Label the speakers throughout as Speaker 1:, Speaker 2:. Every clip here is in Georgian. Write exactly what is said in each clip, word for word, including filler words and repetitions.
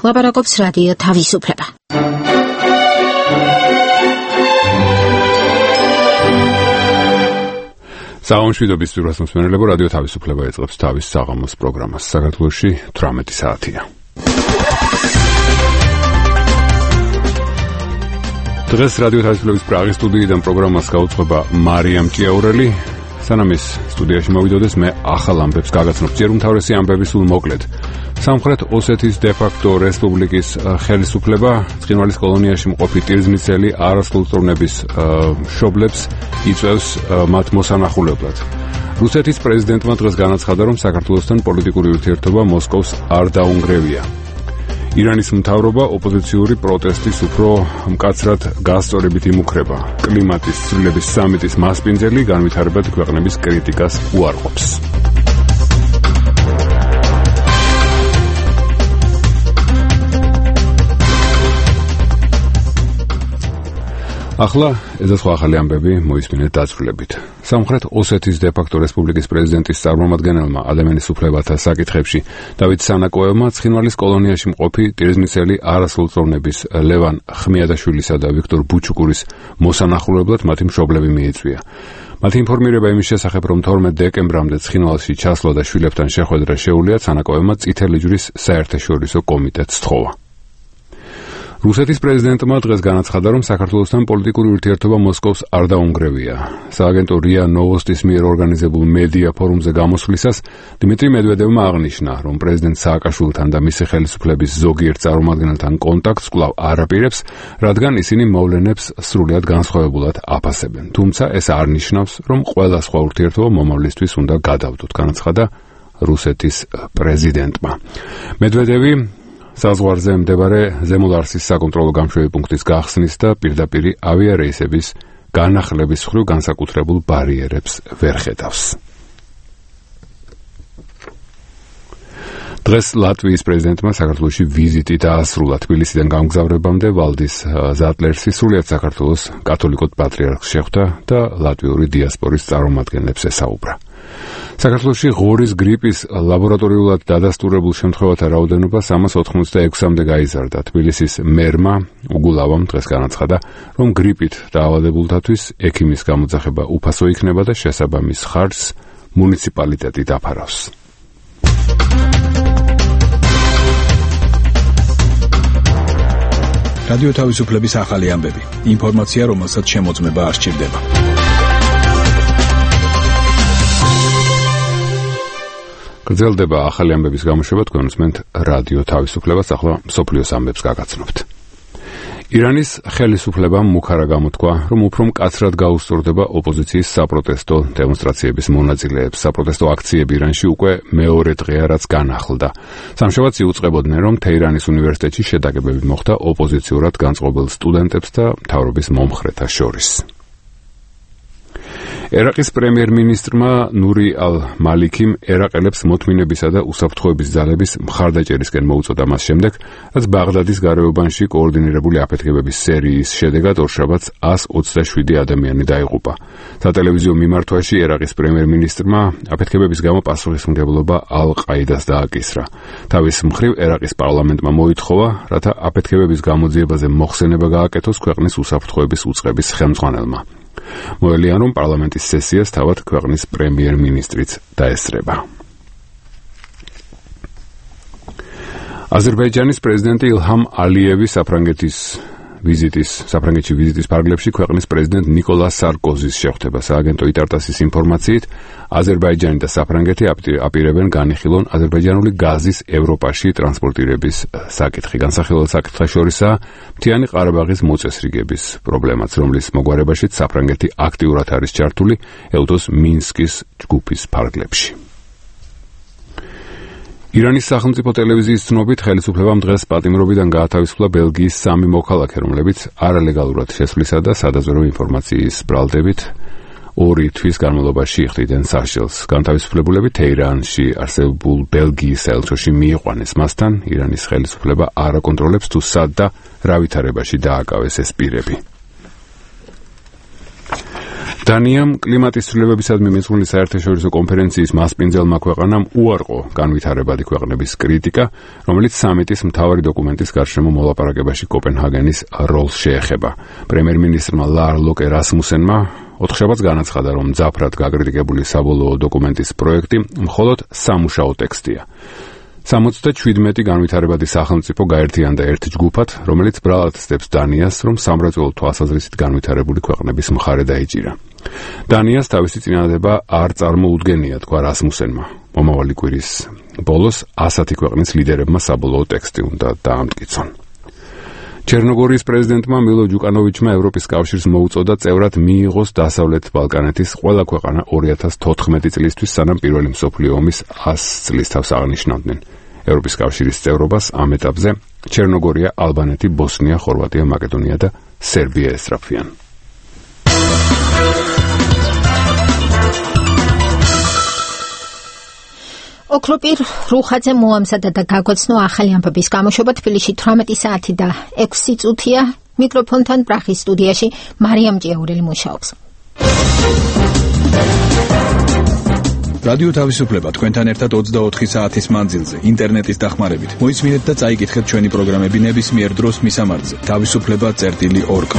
Speaker 1: ლაპარაკობს რადიო თავისუფლება.
Speaker 2: საომშვიდობის პირველ მსმენელებო, რადიო თავისუფლება ეწყებს თავის საღამოს პროგრამას. საქართველოში თვრამეტი საათია. დღეს რადიო თავისუფლების პრაღის სტუდიიდან პროგრამას გაუძღვება მარიამ ჭიაურელი. სანამ ის სტუდიაში მოვიდოდეს, მე ახალ ამბებს გაგაცნობ. ჯერ უმთავრესი ამბები სულ მოკლედ. სამხრეთ ოსეთის დე-ფაქტო რესპუბლიკის ხელისუფლება ცხინვალის კოლონიაში მყოფი ტირზნიცელი არასრულწლოვნების მშობლებს იწვევს მათ მოსანახულებლად. რუსეთის პრეზიდენტმა დღეს განაცხადა, რომ საქართველოსთან პოლიტიკური ურთიერთობა მოსკოვს არ დაუნგრევია. ირანის მთავრობა ოპოზიციური პროტესტის უფრო მკაცრად გასწორებით იმუქრება. კლიმატის ცვლილების სამიტის მასპინძელი განვითარებად ქვეყნების კრიტიკას უარყოფს. ახლა ეს სხვა ახალი ამბები მოისმინეთ დაწვრილებით. სამხრეთ ოსეთის დე-ფაქტო რესპუბლიკის პრეზიდენტის წარმომადგენელმა ადამიანის უფლებათა საკითხებში დავით სანაკოევმა ცხინვალის კოლონიაში მყოფი ტირზნიცელი არასრულწლოვნების ლევან ხმიადაშვილისა და ვიქტორ ბუჩუკურის მოსანახულებლად მათი მშობლები მიიწვია. მათი ინფორმირება იმის შესახებ, რომ თორმეტ დეკემბრამდე ცხინვალში ჩასვლა და შვილებთან შეხვედრა შეუძლია, სანაკოევმა წითელი ჯვრის საერთაშორისო კომიტეტს სთხოვა. რუსეთის პრეზიდენტმა დღეს განაცხადა, რომ საქართველოსთან პოლიტიკური ურთიერთობა მოსკოვს არ დაუნგრევია. სააგენტო რია ნოვოსტის მიერ ორგანიზებულ მედია ფორუმზე გამოსვლისას დიმიტრი მედვედევმა აღნიშნა, რომ პრეზიდენტ სააკაშვილთან და მისი ხელისუფლების ზოგიერთ წარმომადგენელთან კონტაქტს კვლავ არ აპირებს, რადგან ისინი მოვლენებს სრულიად განსხვავებულად აფასებენ. თუმცა ეს არ ნიშნავს, რომ ყველა სხვა ურთიერთობა მომავლისთვის უნდა გადავდოთ, განაცხადა რუსეთის პრეზიდენტმა. მედვედევი საზღვარზე მდებარე ზემოლარსის საკონტროლო გამშვები პუნქტის გახსნის და პირდაპირ ავიარეისების განახლების მხრივ განსაკუთრებულ ბარიერებს ვერ ხედავს. დღეს ლატვიის პრეზიდენტმა საქართველოში ვიზიტი დაასრულა. თბილისიდან გამგზავრებამდე ვალდის ზატლერსი სრულიად საქართველოს კათოლიკოს პატრიარქს შეხვდა და ლატვიური დიასპორის წარმომადგენლებს ესაუბრა. საქართველოში ღორის გრიპის ლაბორატორიულად დადასტურებულ შემთხვევათა რაოდენობა სამას ოთხმოცდაექვსამდე გაიზარდა. თბილისის მერმა უგულავამ დღეს განაცხადა, რომ გრიპით დაავადებულთათვის ექიმის გამოძახება უფასო იქნება და შესაბამის ხარჯს მუნიციპალიტეტი დაფარავს.
Speaker 3: რადიო თავისუფლების ახალი ამბები. ინფორმაცია, რომელსაც შემოწმება არ სჭირდება.
Speaker 2: გრძელდება ახალი ამბების გამოშვება, თქვენ უსმენთ რადიო თავისუფლებას, ახლა მსოფლიოს ამბებს გაგაცნობთ. ირანის ხელისუფლებამ მუქარა გამოთქვა, რომ უფრო მკაცრად გაუსწორდება ოპოზიციის საპროტესტო დემონსტრაციების მონაწილეებს. საპროტესტო აქციები ირანში უკვე მეორე დღეა, რაც განახლდა. სამშაბათს იუწყებოდნენ, რომ თეირანის უნივერსიტეტში შეტაკებები მოხდა ოპოზიციურად განწყობილ სტუდენტებს და მთავრობის მომხრეთა შორის. ერაყის პრემიერ-მინისტრმა ნური ალ-მალიქიმ ერაყელებს მოთმინებისა და უსაფრთხოების ძალების მხარდაჭერისკენ მოუწოდა მას შემდეგ, რაც ბაღდადის გარეუბანში კოორდინირებული აფეთქებების სერიის შედეგად ორშაბათს εκατს ოცდაშვიდი ადამიანი დაიღუპა. სატელევიზიო მიმართვაში ერაყის პრემიერ-მინისტრმა აფეთქებების გამო პასუხისმგებლობა ალ-ყაიდას დააკისრა. თავის მხრივ ერაყის პარლამენტმა მოითხოვა, რათა აფეთქებების გამოძიებაზე მოხსენება გააკეთოს ქვეყნის უსაფრთხოების უწყების ხელმძღვანელმა. მოელიან, რომ პარლამენტის სესიას თავად ქვეყნის პრემიერ-მინისტრიც დაესწრება. აზერბაიჯანის პრეზიდენტი ილჰამ ალიევი საფრანგეთის ვიზიტის საფრანგეთში ვიზიტის ფარგლებში ქვეყნის პრეზიდენტ ნიკოლას სარკოზის შეხვდება. სააგენტო იტარტასის ინფორმაციით, აზერბაიჯანი და საფრანგეთი აპირებენ განიხილონ აზერბაიჯანული გაზის ევროპაში ტრანსპორტირების საკითხი. განსახილველ საკითხთა შორისაა მთიანი ყარაბაღის მოწესრიგების პრობლემაც, რომლის მოგვარებაშიც საფრანგეთი აქტიურად არის ჩართული ეუთოს მინსკის ჯგუფის ფარგლებში. ირანის სახელმწიფო ტელევიზიის ცნობით, ხელისუფლებამ დღეს პატიმრობიდან გაათავისუფლა ბელგიის სამი მოქალაქე, რომლებიც არალეგალურად შესვლისა და სადაზვერვო ინფორმაციის ბრალდებით ორი თვის განმავლობაში იხდიდნენ სასჯელს. განთავისუფლებულები თეირანში არსებულ ბელგიის საელჩოში მიიყვანეს. მასთან ირანის ხელისუფლება არ აკონტროლებს თუ სად და რა ვითარებაში დააკავეს ეს პირები. დანიამ კლიმატის ცვლილებებისადმი მიძღვნილი საერთაშორისო კონფერენციის მასპინძელმა ქვეყანამ უარყო განვითარებადი ქვეყნების კრიტიკა, რომელიც სამიტის მთავარი დოკუმენტის გარშემო მოლაპარაკებაში კოპენჰაგენის როლს შეეხება. პრემიერ-მინისტრმა ლარ ლოკე რასმუსენმა ოთხშაბათს განაცხადა, რომ მძაფრად გაკრიტიკებული საბოლოო დოკუმენტის პროექტი მხოლოდ სამუშაო ტექსტია. სამოცდაშვიდმეტი განვითარებადი სახელმწიფო გაერთიანდა ერთ ჯგუფად, რომელიც ბრალად ცდებს დანიას, რომ სამრეწველო თვალსაზრისით განვითარებული ქვეყნების მხარე დაიჭირა. დანიას თავისი წინადადება არ წარმოუდგენია, თქვა რასმუსენმა. მომავალი კვირის ბოლოს ასეთი ქვეყნის ლიდერებმა საბოლოო ტექსტი უნდა დაამტკიცონ. ჩერნოგორიის პრეზიდენტმა მილო ჯუკანოვიჩმა ევროპის კავშირს მოუწოდა წევრად მიიღოს დასავლეთ ბალკანეთის ყველა ქვეყანა ორი ათას თოთხმეტი წლისთვის, სანამ პირველი მსოფლიო ომის ას წლის თავს აღნიშნავდნენ. ევროპის კავშირის წევრობას ამ ეტაპზე ჩერნოგორია, ალბანეთი, ბოსნია, ხორვატია, მაკედონია და სერბია ესწრაფვიან.
Speaker 1: ოქროპირ რუხაძე მოამზადა და გაგვაცნო ახალი ამბების გამოშვება. თბილისში თვრამეტი საათი და ექვსი წუთია. მიკროფონთან პრაღის სტუდიაში მარიამ ჭიაურელი მუშაობს.
Speaker 3: რადიო თავისუფლება თქვენთან ერთად ოცდაოთხი საათის მანძილზე ინტერნეტის დახმარებით. მოისმინეთ და წაიკითხეთ ჩვენი პროგრამები ნებისმიერ დროს მისამართზე თავისუფლება წერტილი ორ კ.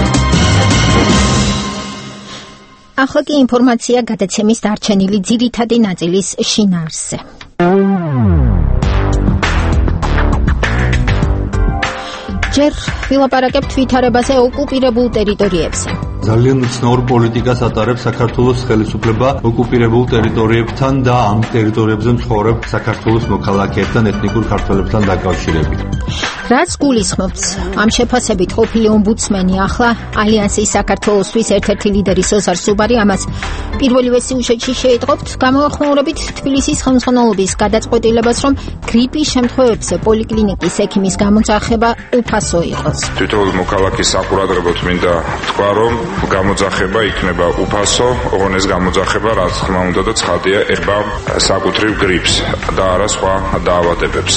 Speaker 1: ახლა კი ინფორმაცია გადაცემის დარჩენილი ძირითადი ნაწილის შინაარსზე. ჯერ ვილაპარაკებთ ვითარებაზე ოკუპირებულ ტერიტორიებზე.
Speaker 4: ძალიან უცნაურ პოლიტიკას ატარებს საქართველოს ხელისუფლება ოკუპირებულ ტერიტორიებთან და ამ ტერიტორიებზე მცხოვრებ საქართველოს მოქალაქეებთან, ეთნიკურ ქართველებთან დაკავშირებით.
Speaker 1: რაც გულისხმობს ამ შეფასებით ყოფილი ომბუდსმენი, ახლა ალიანსის საქართველოსთვის ერთ-ერთი ლიდერი სოზარ სუბარი ამას პირველივე სიუჟეტში შეიტყობთ, გამოახმაურებით თბილისის ხელმძღვანელობის გადაწყვეტილებას, რომ გრიპის შემთხვევებზე პოლიკლინიკის ექიმის გამოძახება უფასო იყოს.
Speaker 5: თითოეულ მოქალაქის საყურადღებოდ მინდა თქვა, რომ გამოძახება იქნება უფასო, ოღონდ ეს გამოძახება რაც თქმა უნდა და ცხადია ეხება საკუთრივ გრიპს და არა სხვა დაავადებებს.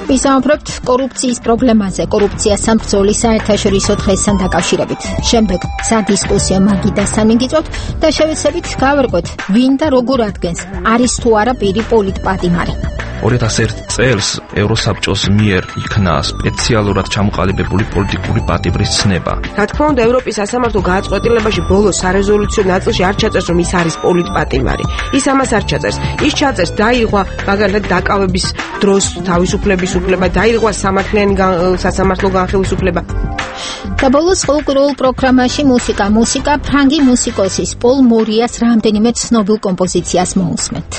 Speaker 1: ვისაუბრებთ კორუფციის პრობლემაზე, კორუფციასთან ბრძოლის საერთაშორისო დღესთან დაკავშირებით. შემდეგ სადისკუსიო მაგიდასთან მიგიწვევთ და შევეცდებით გავერკვეთ, ვინ და როგორ ადგენს არის თუ არა პირი პოლიტპატიმარი.
Speaker 6: ორი ათას ერთი წელს ევროსაბჭოს მიერ იქნა სპეციალურად ჩამოყალიბებული პოლიტიკური პატიმრის ცნება.
Speaker 7: რა თქმა უნდა, ევროპის სასამართლო გადაწყვეტილებაში ბოლოს სარეზოლუციო ნაწილში არ ჩაწერს, რომ ის არის პოლიტპატიმარი. ის ამას არ ჩაწერს. ის ჩაწერს დაირღვა მაგალითად დაკავების დროს თავისუფლების უფლება, დაირღვა სამართლიანი სასამართლო განხილვის და ბოლოს ყოველკვირეულ პროგრამაში მუსიკა, მუსიკა ფრანგი მუსიკოსის პოლ მორიას რამდენიმე ცნობილ კომპოზიციას მოусმენთ.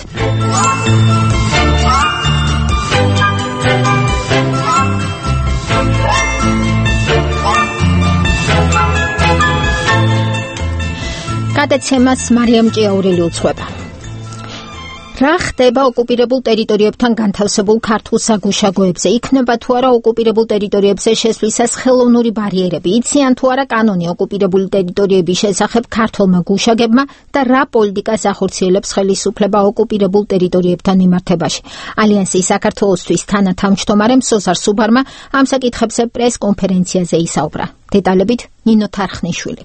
Speaker 7: გადაცემას მარიამ ჭიაურელი უძღვება. რა ხდება ოკუპირებულ ტერიტორიებთან განთავსებულ ქართულ საგუშაგოებზე? იქნება თუ არა ოკუპირებულ ტერიტორიებზე შესვლისას ხელოვნური ბარიერები? იციან თუ არა კანონი ოკუპირებული ტერიტორიების შესახებ ქართველმა გუშაგებმა და რა პოლიტიკას ახორციელებს ხელისუფლება ოკუპირებულ ტერიტორიებთან მიმართებაში? ალიანსის საქართველოსთვის თანათავმჯდომარემ სოზარ სუბარმა ამ საკითხებზე პრეს-კონფერენციაზე ისაუბრა. დეტალებით ნინო თარხნიშვილი.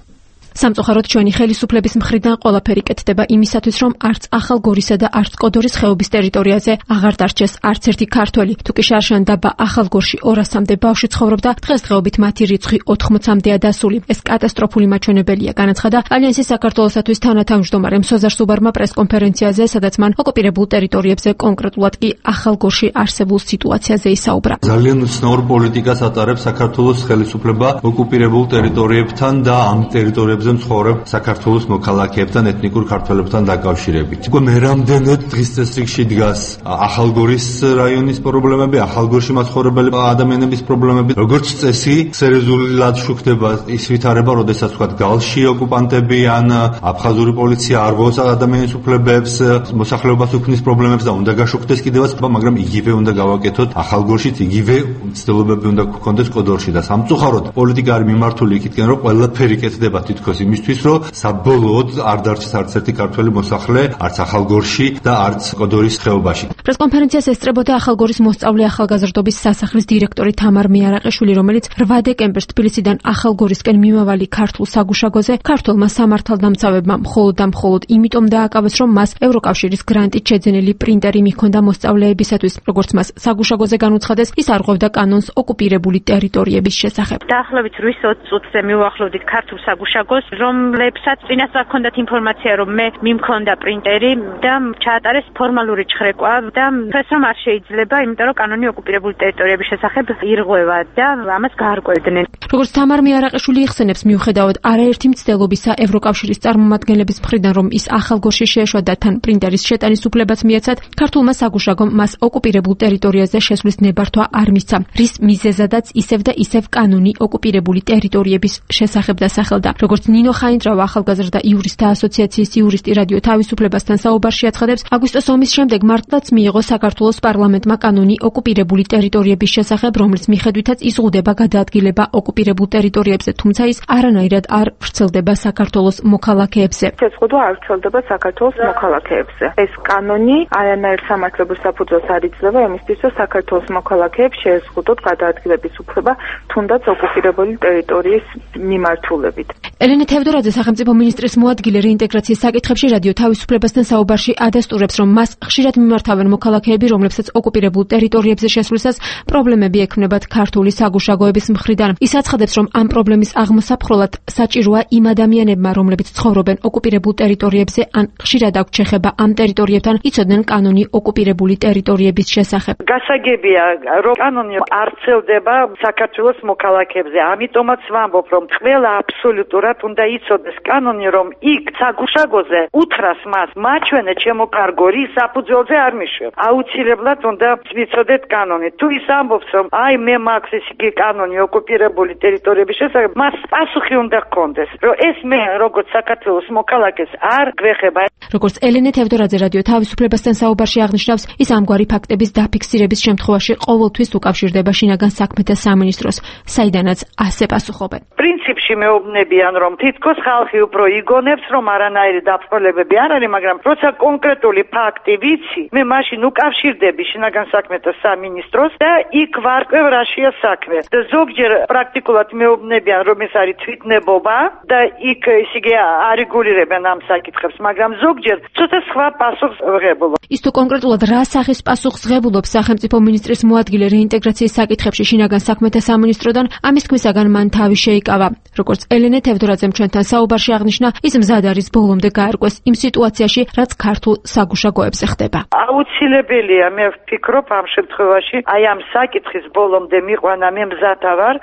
Speaker 8: სამწუხაროდ ჩვენი ხელისუფლების მხრიდან ყველაფერი კეთდება იმისათვის, რომ არც ახალგორისა და არც კოდორის ხეობის ტერიტორიაზე აღარ დარჩეს არც ერთი ქართველი. თუ კი შარშან დაბა ახალგორში ორასამდე ბავშვი ცხოვრობდა, დღესდღეობით მათი რიცხვი ოთხმოცამდეა დასული. ეს კატასტროფული მაჩვენებელია, განაცხადა ალიანსის საქართველოსათვის თანათავმჯდომარემ სოზარ სუბარმა პრეს-კონფერენციაზე, სადაც მან ოკუპირებულ ტერიტორიებზე, კონკრეტულად კი ახალგორში არსებულ სიტუაციაზე ისაუბრა.
Speaker 4: ძალიან უცნაურ პოლიტიკას ატარებს საქართველოს ხელისუფლება ოკუპირებულ ტერიტორიებთან და ამ ტერიტორიებზე მცხოვრებ საქართველოს მოქალაქეებთან, ეთნიკურ ქართველებთან დაკავშირებით. უკვე მე რამდენად დღის წესრიგში დგას ახალგორის რაიონის პრობლემები, ახალგორში მაცხოვრებელი ადამიანების პრობლემები. როგორც წესი, სერიოზულად შუქდება ის ვითარება, როდესაც ვთქვათ, გალში ოკუპანტები ან აფხაზური პოლიცია არ გვაქვს ადამიანის უფლებებს, მოსახლეობას უქმნის პრობლემებს და უნდა გაშუქდეს კიდევაც, მაგრამ იგივე უნდა გავაკეთოთ ახალგორშიც, იგივე მცდელობები უნდა გქონდეს კოდორში და სამწუხაროდ პოლიტიკა არის მიმართული იქითკენ, რომ ყველაფერი კეთდება თითქოს იქნებოს იმისთვის, რომ საბოლოოდ არ დარჩეს არც ერთი ქართველი მოსახლე, არც ახალგორში და არც კოდორის ხეობაში.
Speaker 8: პრესკონფერენციას ესწრებოდა ახალგორის მოსწავლე ახალგაზრდობის სასახლის დირექტორი თამარ მიარაყიშვილი, რომელიც რვა დეკემბერს თბილისიდან ახალგორისკენ მიმავალი ქართულ საგუშაგოზე ქართველმა სამართალდამცავებმა მხოლოდ და მხოლოდ იმიტომ დააკავეს, რომ მას ევროკავშირის გრანტით შეძენილი პრინტერი მიჰქონდა მოსწავლეებისათვის. როგორც მას საგუშაგოზე განუცხადეს, ის არღვევდა კანონს ოკუპირებული ტერიტორიების შესახებ.
Speaker 9: დაახლოებით რვის ოცი წუთზე მივახლოვდით ქართულ საგუშაგოს, რომლებსაც წინასწარ ჰქონდათ ინფორმაცია, რომ მე მიმქონდა პრინტერი და ჩაატარეს ფორმალური ჩხრეკვა და ეს რომ არ შეიძლება, იმიტომ რომ კანონი ოკუპირებული ტერიტორიების შესახებ ირღვევა და ამას გაარკვევდნენ.
Speaker 8: როგორც თამარ მიარაყიშვილი იხსენებს, მიუხედავად არაერთი მცდელობისა ევროკავშირის წარმომადგენლების მხრიდან, რომ ის ახალგორში შეეშვა და თან პრინტერის შეტანის უფლებაც მიეცათ, ქართულმა საგუშაგომ მას ოკუპირებულ ტერიტორიაზე შესვლის ნებართვა არ მისცა, რის მიზეზადაც ისევ და ისევ კანონი ოკუპირებული ტერიტორიების შესახებ დასახელდა. როგორც ნინო ხაინდრავა, ახალგაზრდა იურისტთა ასოციაციის იურისტი რადიო თავისუფლებასთან საუბარში აცხადებს, აგვისტოს ომის შემდეგ მართლაც მიიღო საქართველოს პარლამენტმა კანონი ოკუპირებული ტერიტორიების შესახებ, რომლის მიხედვითაც იზღუდება გადაადგილება ოკუპირებულ ტერიტორიებზე, თუმცა ის არანაირად არ ვრცელდება საქართველოს მოქალაქეებზე.
Speaker 10: შეზღუდვა არ ვრცელდება საქართველოს მოქალაქეებზე. ეს კანონი არანაირ სამართლებრივ საფუძველს არ იძლევა იმისთვის, რომ საქართველოს მოქალაქეებს შეეზღუდოთ გადაადგილების უფლება, თუნდაც ოკუპირებული ტერიტორიის მიმართულებით.
Speaker 8: ელენე თევდორაძე, სახელმწიფო მინისტრის მოადგილე რეინტეგრაციის საკითხებში რადიო თავისუფლებასთან საუბარში ადასტურებს, რომ მას ხშირად მიმართავენ მოქალაქეები, რომლებსაც ოკუპირებულ ტერიტორიებზე შესვლისას პრობლემები ექმნებათ ქართული საგუშაგოების მხრიდან. ის აცხადებს, რომ ამ პრობლემის აღმოსაფხროლად საჭიროა იმ ადამიანებმა, რომლებიც ცხოვრობენ ოკუპირებულ ტერიტორიებზე, ან ხშირად აქვთ შეხება ამ ტერიტორიებთან, იცოდნენ კანონი ოკუპირებული ტერიტორიების შესახებ.
Speaker 11: გასაგებია, რომ კანონი არ ვრცელდება საქართველოს მოქალაქეებზე. ამიტომაც ვამბობ, რომ ყველა აბსოლუტურად უნდა იცოდეს კანონი, რომ იქ საგუშაგოზე უთხრას მას მაჩვენე ჩემო კარგო, რის საფუძველზე არ მიშვებ. აუცილებლად უნდა ვიცოდეთ კანონი. თუ ის ამბობს, რომ აი მე მაქვს ეს იგი კანონი ოკუპირებული ტერიტორიების შესახებ, მას პასუხი უნდა ჰქონდეს, რომ ეს მე როგორც საქართველოს მოქალაქეს არ გვეხება.
Speaker 8: როგორც ელენე თევდორაძე რადიო თავისუფლებასთან საუბარში აღნიშნავს, ის ამგვარი ფაქტების დაფიქსირების შემთხვევაში ყოველთვის უკავშირდება შინაგან საქმეთა სამინისტროს, საიდანაც ასე პასუხობენ.
Speaker 11: პრინციპში მეუბნებიან, რომ თითქოს ხალხი უფრო იგონებს, რომ არანაირი დაფრთხოლებები არ არის, მაგრამ როცა კონკრეტული ფაქტი ვიცი, მე მაშინ უკავშირდები შინაგან საქმეთა სამინისტროს და იქ ვარკვევ რაშია საქმე. და ზოგჯერ პრაქტიკულად მეუბნებიან, რომ ეს არის თვითნებობა და იქ ისე იგი არეგულირებენ ამ საკითხებს, მაგრამ ზოგჯერ ცოტა სხვა პასუხს ვღებულობ.
Speaker 8: ის თუ კონკრეტულად რა სახის პასუხს ღებულობს სახელმწიფო მინისტრის მოადგილე რეინტეგრაციის საკითხებში შინაგან საქმეთა სამინისტროდან, ამის თქმისაგან მან თავი შეიკავა. როგორც ელენე თევდორაძემ ჩვენთან საუბარში აღნიშნა, ის მზად არის ბოლომდე გაარკვეს იმ სიტუაციაში, რაც ქართულ საგუშაგოებზე ხდება.
Speaker 11: აუცილებელია, მე ვფიქრობ ამ შემთხვევაში, აი ამ საკითხის ბოლომდე მიყვანა, მე მზად ვარ,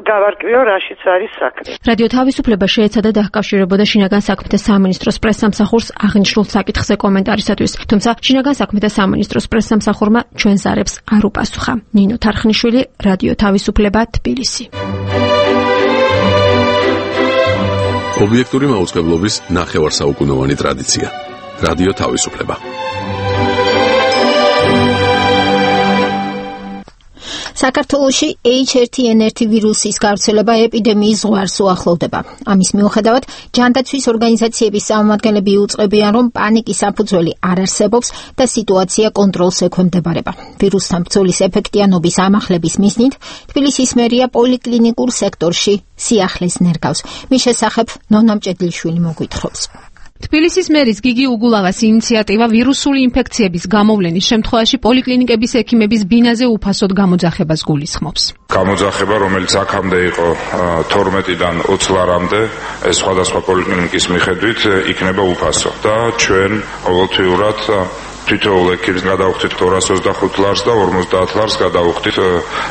Speaker 11: გავარკვიო რაშიც არის საქმე.
Speaker 8: რადიო თავისუფლება შეეცადა დაკავშირებოდა შინაგან საქმეთა სამინისტროს პრესსამსახურს აღნიშნულ საკითხზე კომენტარისათვის, თუმცა შინაგან საქმეთა სამინისტროს პრესსამსახურმა ჩვენ ზარებს არ უპასუხა. ნინო თარხნიშვილი, რადიო თავისუფლება, თბილისი.
Speaker 12: ობიექტური მაუწყებლობის ნახევარსაუკუნოვანი ტრადიცია. რადიო თავისუფლება.
Speaker 1: საქართველოში ეიჩ ერთი ენ ერთი ვირუსის გავრცელება ეპიდემიის ზღვარს უახლოვდება. ამის მიუხედავად, ჯანდაცვის ორგანიზაციების წარმომადგენლები უწყებიან, რომ პანიკის საფუძველი არ არსებობს და სიტუაცია კონტროლს ექვემდებარება. ვირუსთან ბრძოლის ეფექტიანობის ამახლების მიზნით, თბილისის მერია პოლიკლინიკურ სექტორში სიახლეს ნერგავს. მის შესახებ ნონა მჭედლიშვილი მოგვითხრობს.
Speaker 13: თბილისის მერის გიგი უგულაღას ინიციატივა ვირუსული ინფექციების გამოვლენის შემთხვევაში პოლიკლინიკების ექიმების ბინაზე უფასოდ გამოძახებას გულისხმობს.
Speaker 5: გამოძახება, რომელიც აქამდე იყო თორმეტიდან ოცი ლარამდე, ეს სხვადასხვა პოლიკლინიკის მიხედვით იქნება უფასო და ჩვენ ყოველთვიურად თითოეულ ექიმს გადავხდით ორას ოცდახუთ ლარს და ორმოცდაათ ლარს გადავხდით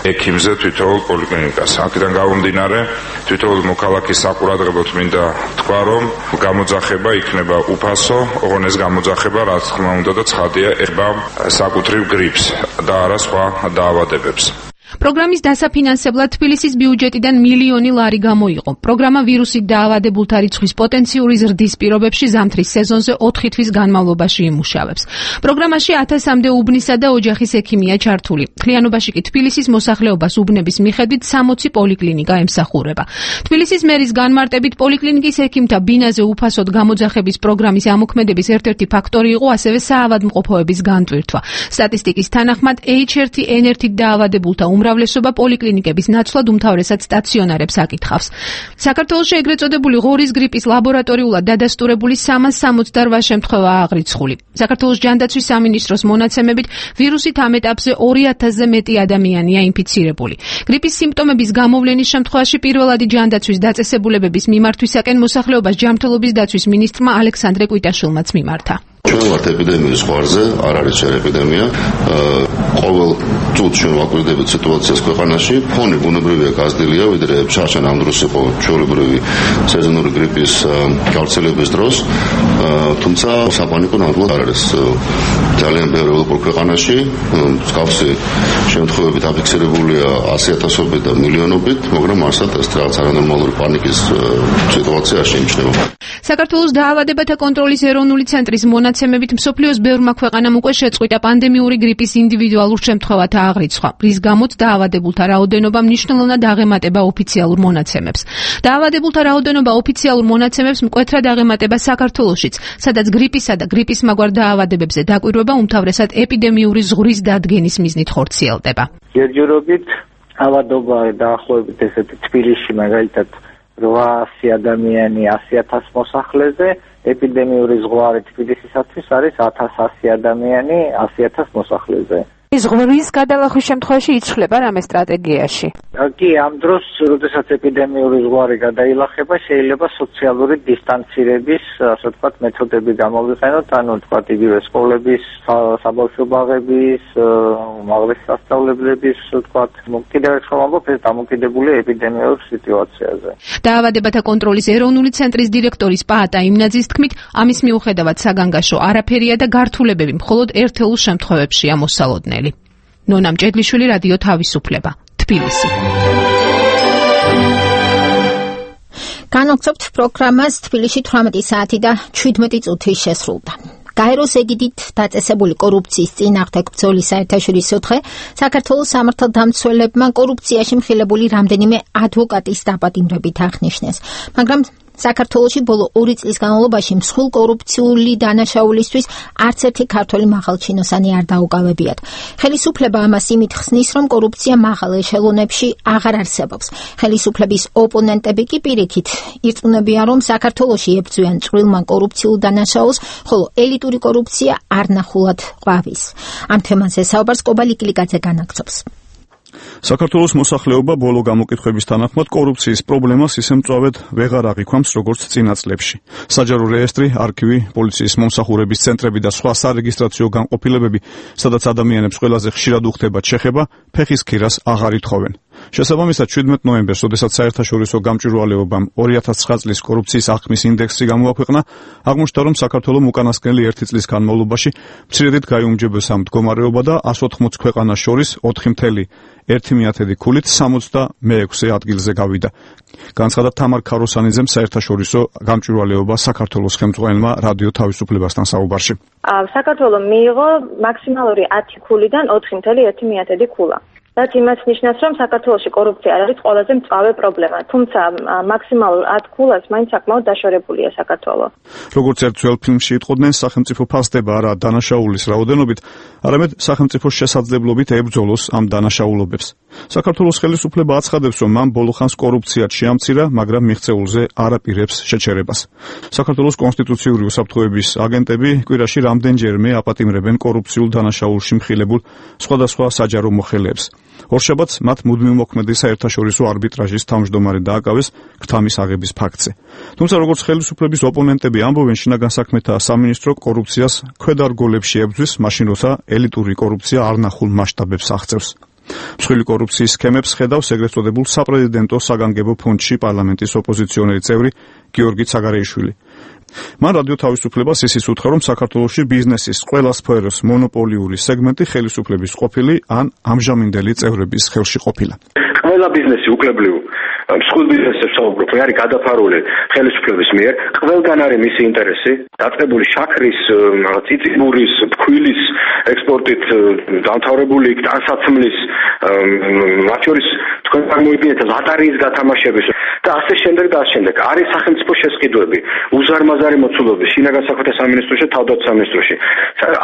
Speaker 5: ექიმზე თითოეულ პოლიკლინიკას. აქედან გამომდინარე, თითოეულ მოქალაქის საყურადღებოდ მინდა თქვა, რომ გამოძახება იქნება უფასო, ოღონდ ეს გამოძახება, რაც თქმა უნდა და ცხადია, ეხება საკუთრივ გრიპს და არა სხვა დაავადებებს.
Speaker 13: პროგრამის დასაფინანსებლად თბილისის ბიუჯეტიდან მილიონი ლარი გამოიყო. პროგრამა ვირუსით დაავადებულთა რიცხვის პოტენციური ზრდის პირობებში ზამთრის სეზონზე ოთხი თვის განმავლობაში იმუშავებს. პროგრამაში ათასამდე უბნისა და ოჯახის ექიმია ჩართული. მთლიანობაში კი თბილისის მოსახლეობას უბნების მიხედვით სამოცი პოლიკლინიკა ემსახურება. თბილისის მერის განმარტებით პოლიკლინიკის ექიმთა ბინაზე უფასოდ გამოძახების პროგრამის ამოქმედების ერთ-ერთი ფაქტორი იყო ასევე საავადმყოფოების განტვირთვა. სტატისტიკის თანახმად ეიჩ ერთი ენ ერთით დაავადებულთა უმრავლესობა პოლიკლინიკების ნაცვლად უმთავრესად სტაციონარებს აკითხავს. საქართველოში ეგრეთ წოდებული ღორის გრიპის ლაბორატორიულად დადასტურებული სამას სამოცდაოთხ შემთხვევა აღრიცხული. საქართველოს ჯანდაცვის სამინისტროს მონაცემებით ვირუსით ამ ეტაპზე ორი ათასზე მეტი ადამიანია ინფიცირებული. გრიპის სიმპტომების გამოვლენის შემთხვევაში პირველადი ჯანდაცვის დაწესებულებების მიმართვისაკენ მოსახლეობას ჯანმრთელობის დაცვის მინისტრმა ალექსანდრე კვიტაშვილმაც მიმართა.
Speaker 14: ჩვენ ვართ ეპიდემიის ზღვარზე, არ არის შენ ეპიდემია. ყოველ წუთს ჩვენ ვაკვირდებით სიტუაციას ქვეყანაში. ფონი ბუნებრივია გაზრდილია, ვიდრე შარშან ამ დროს იყო ჩვეულებრივი სეზონური გრიპის გავრცელების დროს. თუმცა საპანიკო ნამდვილად არ არის. ძალიან ბევრი ევროპულ ქვეყანაში მსგავსი შემთხვევები დაფიქსირებულია ასი ათასობით და მილიონობით, მაგრამ არსად ეს რაღაც არანორმალური პანიკის სიტუაცია არ შეიმჩნევა.
Speaker 13: საქართველოს დაავადებათა კონტროლის ეროვნული ცენტრის მონაცემებით მსოფლიოს ბევრმა ქვეყანამ უკვე შეწყვიტა პანდემიური გრიპის ინდივიდუალურ შემთხვევათა აღრიცხვა, რის გამოც დაავადებულთა რაოდენობა მნიშვნელოვნად აღემატება ოფიციალურ მონაცემებს. დაავადებულთა რაოდენობა ოფიციალურ მონაცემებს მკვეთრად აღემატება საქართველოშიც, სადაც გრიპისა და გრიპის მაგვარ დაავადებებზე დაკვირვება უმთავრესად ეპიდემიური ზღვრის დადგენის მიზნით ხორციელდება.
Speaker 15: ჯერჯერობით ავადობა დაახლოებით ესეთი თბილისში მაგალითად რვაასი ადამიანი ასი ათას მოსახლეზე, ეპიდემიური ზღვარი თბილისისათვის არის ათას ასი ადამიანი ასი ათას მოსახლეზე.
Speaker 16: ზღვრის გადალახვის შემთხვევაში იცვლება რამე სტრატეგიაში?
Speaker 15: კი, ამ დროს, როდესაც ეპიდემიური ზღვარი გადაილახება, შეიძლება სოციალური დისტანცირების, ასე ვთქვათ, მეთოდები გამოვიყენოთ, ანუ ვთქვათ, იგივე სკოლების, საბავშვო ბაღების, უმაღლესი სასწავლებლების, ვთქვათ, კიდევ ერთხელ ვამბობ, ეს დამოკიდებულია ეპიდემიურ სიტუაციაზე.
Speaker 13: დაავადებათა კონტროლის ეროვნული ცენტრის დირექტორის პაატა იმნაძის თქმით, ამის მიუხედავად საგანგაშო არაფერია და გართულებები მხოლოდ ერთეულ შემთხვევებშია მოსალოდნელი. ნონა მჭედლიშვილი, რადიო თავისუფლება, თბილისი.
Speaker 1: განვაგრძობთ პროგრამას. თბილისში თვრამეტი საათი და ჩვიდმეტი წუთი შესრულდა. გაეროს ეგიდით დაწესებული კორუფციის წინააღმდეგ ბრძოლის საერთაშორისო დღე საქართველოს სამართალდამცველებმა კორუფციაში მხილებული რამდენიმე ადვოკატის დაპატიმრებით აღნიშნეს, მაგრამ საქართველოში ბოლო ორი წლის განმავლობაში მსხვილ კორუფციული დანაშაულისთვის არც ერთი ქართველი მაღალჩინოსანი არ დაუკავებიათ. ხელისუფლება ამას იმით ხსნის, რომ კორუფცია მაღალ ეშელონებში აღარ არსებობს. ხელისუფლების ოპონენტები კი პირიქით ირწმუნებიან, რომ საქართველოში ებრძვიან წვრილმან კორუფციულ დანაშაულს, ხოლო ელიტური კორუფცია არნახულად ყვავის. ამ თემაზე საუბარს კობალი კლიკაძე განაგრძობს.
Speaker 17: საქართველოს მოსახლეობა ბოლო გამოკითხვების თანახმად კორუფციის პრობლემას ისე მწვავედ ვეღარ აღიქვამს, როგორც წინა წლებში. საჯარო რეესტრი, არქივი, პოლიციის მომსახურების ცენტრები და სხვა სარეგისტრაციო განყოფილებები, სადაც ადამიანებს ყველაზე ხშირად უხდებათ შეხება, ფეხის ქირას აღარ ითხოვენ. შესაბამისად, შვიდმეტ ნოემბერს, როდესაც საერთაშორისო გამჭვირვალეობამ ორი ათას ცხრა წლის კორუფციის აღქმის ინდექსი გამოაქვეყნა, აღმოჩნდა, რომ საქართველოს უკანასკნელი ერთი წლის განმავლობაში მცირედით გაიუმჯობესა ამ მდგომარეობა და ას ოთხმოც ქვეყანას შორის ოთხი მთელი ერთი მიათედი ქულით სამოცდამეექვსე ადგილზე გავიდა. განცხადა თამარ ქაროსანიძემ საერთაშორისო გამჭვირვალეობა საქართველოს ხელმძღვანელმა რადიო თავისუფლებასთან საუბარში.
Speaker 18: საქართველოს მიიღო მაქსიმალური ათი ქულიდან ოთხი მთელი ერთი მიათედი ქულა. რაც იმას ნიშნავს, რომ საქართველოში კორუფცია არ არის ყველაზე მწვავე პრობლემა, თუმცა მაქსიმალურ ათ ქულას მაინც საკმაოდ დაშორებულია საქართველო.
Speaker 17: როგორც ერთ ძველ ფილმში იტყოდნენ, სახელმწიფო ფასდება არა დანაშაულის რაოდენობით, არამედ სახელმწიფოს შესაძლებლობით ებრძოლოს ამ დანაშაულობებს. საქართველოს ხელისუფლება აცხადებს, რომ მან ბოლო ხანს კორუფციად შეამცირა, მაგრამ მიღწეულზე არ აპირებს შეჩერებას. საქართველოს კონსტიტუციური უსაფრთხოების აგენტები კვირაში რამდენჯერმე აპატიმრებენ კორუფციულ დანაშაულში მხილებულ სხვადასხვა საჯარო მოხელეებს. ორშაბათს მათ მუდმივ მოქმედი საერთაშორისო არბიტრაჟის თავმჯდომარე დააკავეს ქთამის აღების ფაქტზე. თუმცა როგორც ხელისუფლების ოპონენტები ამბობენ, შინაგან საქმეთა სამინისტრო კორუფციას ქვედარგოლებში ებრძვის, მაშინ როცა ელიტური კორუფცია არნახულ მასშტაბებს აღწევს. მსხვილი კორუფციის სქემებს ხედავს ეგრეთ წოდებულ საპრეზიდენტო საგანგებო ფონდში პარლამენტის ოპოზიციონერი წევრი გიორგი ცაგარეიშვილი. მან რადიო თავისუფლებას ისიც უთხრა, რომ საქართველოში ბიზნესის ყველა სფეროს მონოპოლიური სეგმენტი ხელისუფლების ყოფილი ან ამჟამინდელი წევრების ხელში ყოფილა.
Speaker 19: ყველა ბიზნესი უკლებლიო მსხვილ ბიზნესებს საუბრობ, არის გადაფარული ხელისუფლების მიერ, ყველგან არის მისი ინტერესი, დაწყებული შაქრის, წიწიმურის, ფქვილის ექსპორტით დამთავრებული ტანსაცმლის, მათ შორის თქვენ წარმოიდგინეთ ლატარიის გათამაშების და ასე შემდეგ და ასე შემდეგ. არის სახელმწიფო შესყიდვები, უზარმაზარი მოცულობები შინაგან საქმეთა სამინისტროში და თავდაცვის სამინისტროში.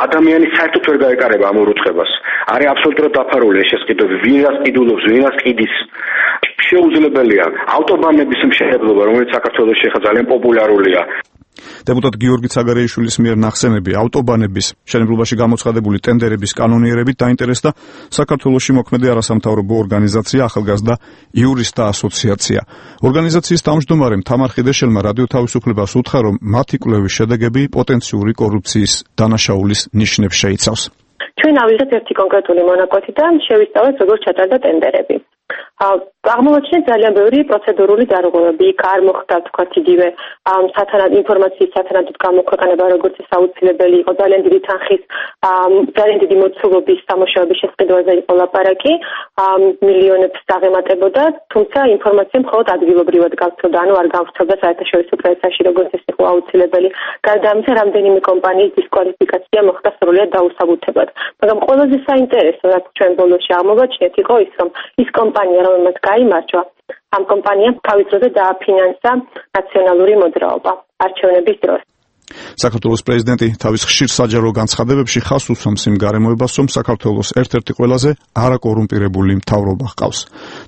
Speaker 19: ადამიანი საერთოდ ვერ გაეკარება ამ ურუცხებას. არის აბსოლუტურად დაფარული ეს შესყიდვები, ვინ რას ყიდულობს, ვინ რას ყიდის. შეუძლებელია ავტობანების მშენებლობა, რომელიც საქართველოში ხა ძალიან პოპულარულია.
Speaker 17: დეპუტატ გიორგი ცაგარეიშვილის მიერ ნახსენები ავტობანების მშენებლობაში გამოცხადებული ტენდერების კანონიერებით დაინტერესდა საქართველოში მოქმედი არასამთავრობო ორგანიზაცია ახალგაზრდა იურისტთა ასოციაცია. ორგანიზაციის თავმჯდომარე თამარ ხიდეშელმა რადიო თავისუფლებას უთხრა, რომ მათი კვლევის შედეგები პოტენციური კორუფციის დანაშაულის ნიშნებს შეიცავს.
Speaker 20: ჩვენ ავიღეთ ერთი კონკრეტული მონაკვეთი და შევისწავლეთ, როგორ ჩატარდა ტენდერები. აღმოჩნდა ძალიან ბევრი პროცედურული დარღვევები, იქ არ მოხდა თქვათ იგივე სათანადო ინფორმაციის სათანადოდ გამოქვეყნება, როგორც ის აუცილებელი იყო, ძალიან დიდი თანხის, ძალიან დიდი მოცულობის სამუშაოების შესყიდვაზე იყო ლაპარაკი, მილიონებს აღემატებოდა, თუმცა ინფორმაცია მხოლოდ ადგილობრივად გავრცელდა, ანუ არ გავრცელდა საერთაშორისო პრესაში, როგორც ეს იყო აუცილებელი. გარდა ამისა, რამდენიმე კომპანიის დისკვალიფიკაცია მოხდა სრულად დაუსაბუთებად. მაგრამ ყველაზე საინტერესო, რაც ჩვენ ბოლოს აღმოვაჩინეთ, იყო ის, რომ ის კომპანია, რომელმაც გაიმარჯვა, ამ კომპანიამ თავის დროზე დააფინანსა ნაციონალური მოძრაობა არჩევნების დროს.
Speaker 17: საქართველოს პრეზიდენტი თავის ხშირ საჯარო განცხადებებში ხაზს უსვამს იმ გარემოებას, რომ საქართველოს ერთ-ერთი ყველაზე არაკორუმპირებული მთავრობა ჰყავს.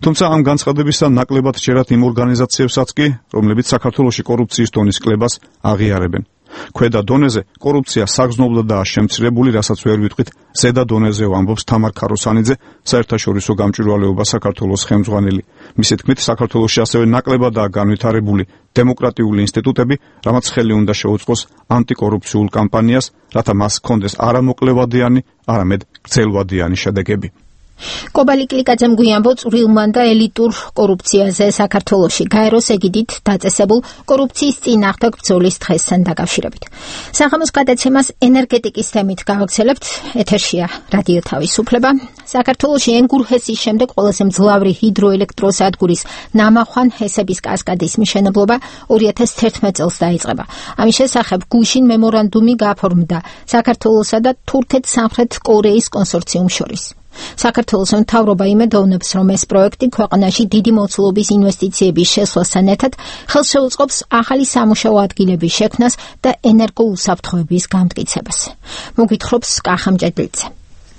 Speaker 17: თუმცა ამ განცხადებისა ნაკლებად ჯერათ იმ ორგანიზაციებსაც კი, რომლებიც საქართველოში კორუფციის დონის კლებას აღიარებენ. ქვედა დონეზე კორუფცია საგრძნობლადაა შემცირებული, რასაც ვერ ვიტყვით ზედა დონეზე, ამბობს თამარ ქაროსანიძე, საერთაშორისო გამჭვირვალეობა საქართველოს ხელმძღვანელი. მისი თქმით, საქართველოში ასევე ნაკლებადაა განვითარებული დემოკრატიული ინსტიტუტები, რამაც ხელი უნდა შეუწყოს ანტიკორუფციულ კამპანიას, რათა მას ჰქონდეს არა მოკლევადიანი, არამედ გრძელვადიანი შედეგები.
Speaker 1: კობალი კლიკაძემ გვიანბო წვრილმან და ელიტურ კორუფციაზე საქართველოში გაეროს ეგიდით დაწესებულ კორუფციის წინააღმდეგ ბრძოლის დღესთან დაკავშირებით. საღამოს გადაცემას ენერგეტიკის თემით გავაგრძელებთ. ეთერშია რადიო თავისუფლება. საქართველოში ენგურჰესის შემდეგ ყველაზე მძლავრი ჰიდროელექტროსადგურის ნამახვან ჰესების კასკადის მშენებლობა ორი ათას თერთმეტ წელს დაიწყება. ამის შესახებ გუშინ მემორანდუმი გაფორმდა საქართველოსა და თურქეთ-სამხრეთ კორეის კონსორციუმს შორის. საქართველოს მთავრობა იმედოვნებს, რომ ეს პროექტი ქვეყანაში დიდი მოცულობის ინვესტიციების შესვლასთან ერთად ხელს შეუწყობს ახალი სამუშაო ადგილების შექმნას და ენერგოუსაფრთხოების გამტკიცებას. მოგვითხრობს კახამჭედლიძე.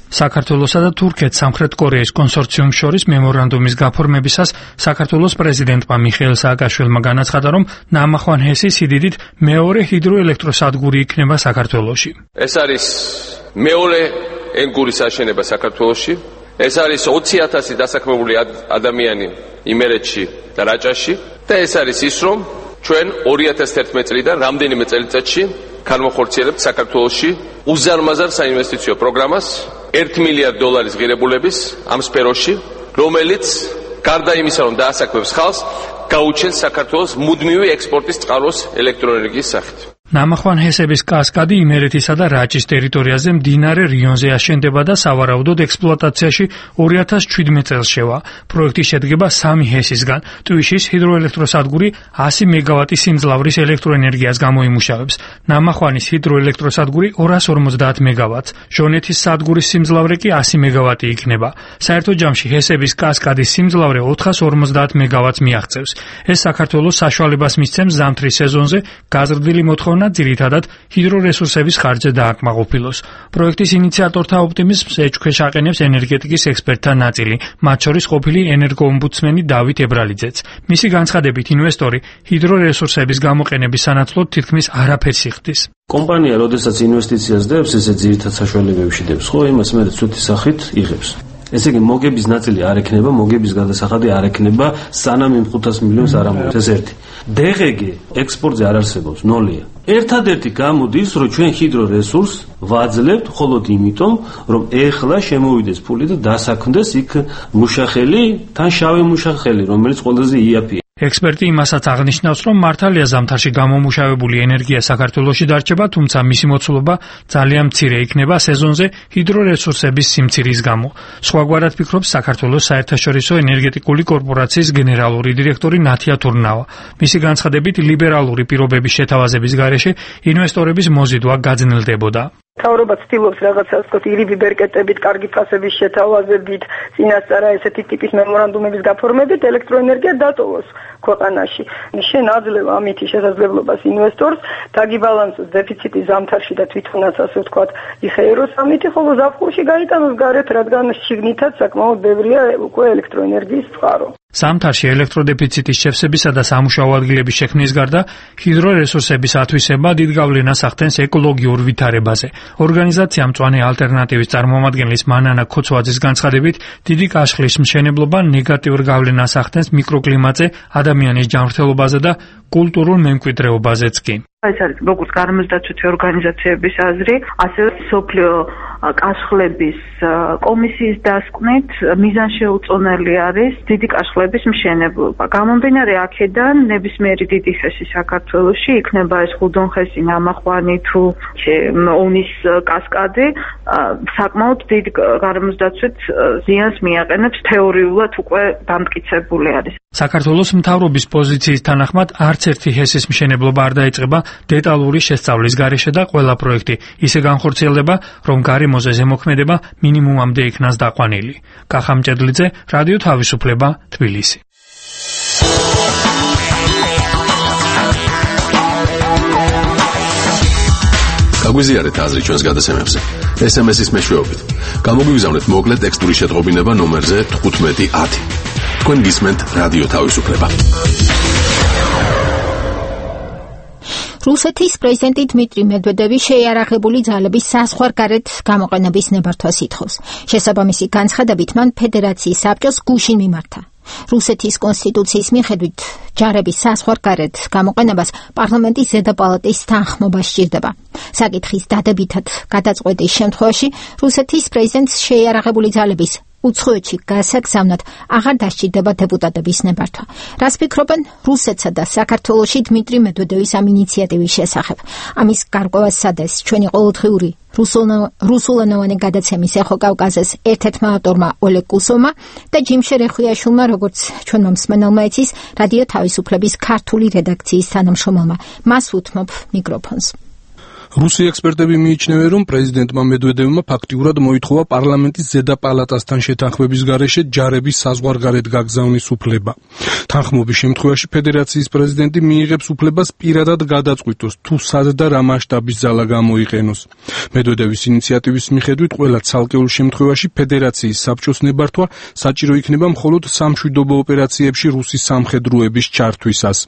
Speaker 21: საქართველოსა და თურქეთ-სამხრეთ კორეის კონსორციუმს შორის მემორანდუმის გაფორმებისას საქართველოს პრეზიდენტმა მიხეილ სააკაშვილმა განაცხადა, რომ ნამახვან ჰესი სიდიდით მეორე ჰიდროელექტროსადგური იქნება საქართველოში.
Speaker 22: ეს არის მეორე ენგურის აშენება საქართველოში. ეს არის ოცი ათასი დასაქმებული ადამიანი იმერეთში და რაჭაში და ეს არის ის, რომ ჩვენ ორი ათას თერთმეტ წლიდან რამდენიმე წელიწადში განვახორციელებთ საქართველოში უზარმაზარ საინვესტიციო პროგრამას ერთი მილიარდი დოლარის ღირებულების ამ სფეროში, რომელიც გარდა იმისა, რომ დაასაქმებს ხალხს, გაუჩენს საქართველოს მუდმივი ექსპორტის წყაროს ელექტროენერგიის სახით.
Speaker 21: ნამახვან ჰესების კასკადი იმერეთისა და რაჭის ტერიტორიაზე მდინარე რიონზე აშენდება და სავარაუდოდ ექსპლუატაციაში ორი ათას შვიდმეტ წელს შევა. პროექტი შედგება სამი ჰესისგან. ტვიშის ჰიდროელექტროსადგური ასი მეგავატის სიმძლავრის ელექტროენერგიას გამოიმუშავებს. ნამახვანის ჰიდროელექტროსადგური ორას ორმოცდაათ მეგავატს. ჟონეთის სადგურის სიმძლავრე კი ასი მეგავატი იქნება. საერთო ჯამში ჰესების კასკადის სიმძლავრე ოთხას ორმოცდაათ მეგავატს მიაღწევს. ეს საქართველოს საშუალებას მისცემს ზამთრის სეზონზე გაზრდილი მოთხოვნა ძირითადად ჰიდრორესურსების ხარჯზე დააკმაყოფილოს. პროექტის ინიციატორთა ოპტიმიზმს ეჭქვეშ აყენებს ენერგეტიკის ექსპერტთა ნაწილი, მათ შორის ყოფილი ენერგოომბუდსმენი დავით ებრალიძეც. მისი განცხადებით, ინვესტორი ჰიდრორესურსების გამოყენების სანაცვლოდ თითქმის არაფერს იხდის.
Speaker 23: კომპანია, როდესაც ინვესტიციას დებს, ესე ძირითად საშუალებებში დებს, ხო, იმას მე ცუდი სახით იღებს. ესე იგი, მოგების ნაწილი არ ექნება, მოგების გადასახადი არ ექნება, სანამ იმ ხუთას მილიონს არ ამოიღებს. ეს ერთი. დეგეგე ექსპორტზე არ არსებობს, ნოლია. ერთადერთი გამოდის, რომ ჩვენ ჰიდრორესურს ვაძლევთ მხოლოდ იმიტომ, რომ ეხლა შემოვიდეს ფული და დასაქმდეს იქ მუშახელი, თან შავი მუშახელი, რომელიც ყველაზე იაფია.
Speaker 21: ექსპერტი იმასაც აღნიშნავს, რომ მართალია ზამთარში გამომუშავებული ენერგია საქართველოში დარჩება, თუმცა მისი მოცულობა ძალიან მცირე იქნება სეზონზე ჰიდრორესურსების სიმცირის გამო. სხვაგვარად ფიქრობს საქართველოს საერთაშორისო ენერგეტიკული კორპორაციის გენერალური დირექტორი ნათია თურნავა. მისი განცხადებით, ლიბერალური პირობების შეთავაზების გარეშე ინვესტორების მოზიდვა გაძნელდებოდა.
Speaker 2: თავრობა ცდილობს რაღაცას თქო ირიბი ბერკეტებით, კარგი ფასების შეთავაზებით, წინასწარა ესეთი ტიპის მემორანდუმების გაფორმებით ელექტროენერგია დატოვოს ქვეყანაში. შენ აძლევ ამითი შესაძლებლობას ინვესტორს დაგიბალანსოს დეფიციტი ზამთარში და თვითონაც ასე ვთქვათ იხეიროს ამითი, ხოლო ზაფხულში გაიტანოს გარეთ, რადგან შიგნითაც საკმაოდ ბევრია უკვე ელექტროენერგიის წყარო.
Speaker 21: ზამთარში ელექტროდეფიციტის შევსებისა და სამუშაო ადგილების შექმნის გარდა ჰიდრორესურსების ათვისება დიდ გავლენას ახდენს ეკოლოგიურ ვითარებაზე. ორგანიზაცია მწვანე ალტერნატივის წარმომადგენლის მანანა ქოცვაძის განცხადებით, დიდი კაშხლის მშენებლობა ნეგატიურ გავლენას ახდენს მიკროკლიმატზე, ადამიანის ჯანმრთელობაზე და კულტურულ მემკვიდრეობაზეც კი.
Speaker 10: ეს არის როგორც გარემოსდაცვითი ორგანიზაციების აზრი, ასევე სოფლიო კაშხლების კომისიის დასკვნით მიზანშეუწონელი არის დიდი კაშხლების მშენებლობა. გამომდინარე აქედან ნებისმიერი დიდი ხესი საქართველოში იქნება ეს ხუდონხესი, ნამახვანი თუ ონის კასკადი საკმაოდ დიდ გარემოსდაცვით ზიანს მიაყენებს, თეორიულად უკვე დამტკიცებული არის.
Speaker 21: საქართველოს მთავრობის პოზიციის თანახმად არც ერთი ჰესის მშენებლობა არ დაიწყება დეტალური შესწავლის გარეშე და ყველა პროექტი ისე განხორციელდება, რომ გარემოზე ზემოქმედება მინიმუმამდე იქნას დაყვანილი. კახა მჭედლიძე, რადიო თავისუფლება, თბილისი.
Speaker 12: გაგვიზიარეთ აზრი ჩვენს გადაცემებზე. ეს ემ ეს-ის მეშვეობით. გამოგვიგზავნეთ მოკლე ტექსტური შეტყობინება ნომერზე თხუთმეტი ათი. თქვენ გისმენთ რადიო თავისუფლება.
Speaker 1: რუსეთის პრეზიდენტი დმიტრი მედვედევი შეიარაღებული ძალების საზღვარგარეთ გამოყენების ნებართვას ითხოვს. შესაბამისი განცხადებით მან ფედერაციის საბჭოს გუშინ მიმართა. რუსეთის კონსტიტუციის მიხედვით ჯარების საზღვარგარეთ გამოყენებას პარლამენტის ზედა პალატის თანხმობა სჭირდება. საკითხის დადებითად გადაწყვეტის შემთხვევაში რუსეთის პრეზიდენტს შეიარაღებული ძალების უცხოეთში გასაგზავნად აღარ დასჭირდება დეპუტატების ნებართვა. რას ფიქრობენ რუსეთსა და საქართველოში დმიტრი მედვედევის ამ ინიციატივის შესახებ? ამის გარკვევას სადეს ჩვენი ყოველდღიური რუსულენოვანი გადაცემის ეხო კავკასიის ერთ-ერთმა ავტორმა ოლეგ კუსოვმა და ჯიმშერ ეხვიაშვილმა, როგორც ჩვენმა მსმენელმა იცის, რადიო თავისუფლების ქართული რედაქციის თანამშრომელმა. მას უთმობ მიკროფონს.
Speaker 3: რუსი ექსპერტები მიიჩნევენ, რომ პრეზიდენტმა მედვედევმა ფაქტიურად მოითხოვა პარლამენტის ზედა პალატასთან შეთანხმების გარეშე ჯარების საზღვარგარეთ გაგზავნის უფლება. თანხმობის შემთხვევაში ფედერაციის პრეზიდენტი მიიღებს უფლებას პირადად გადაწყვიტოს, თუ სად და რა მასშტაბის ძალა გამოიყენოს. მედვედევის ინიციატივის მიხედვით ყველა ცალკეულ შემთხვევაში ფედერაციის საბჭოს ნებართვა საჭირო იქნება მხოლოდ სამშვიდობო ოპერაციებში რუსის სამხედროების ჩართვისას.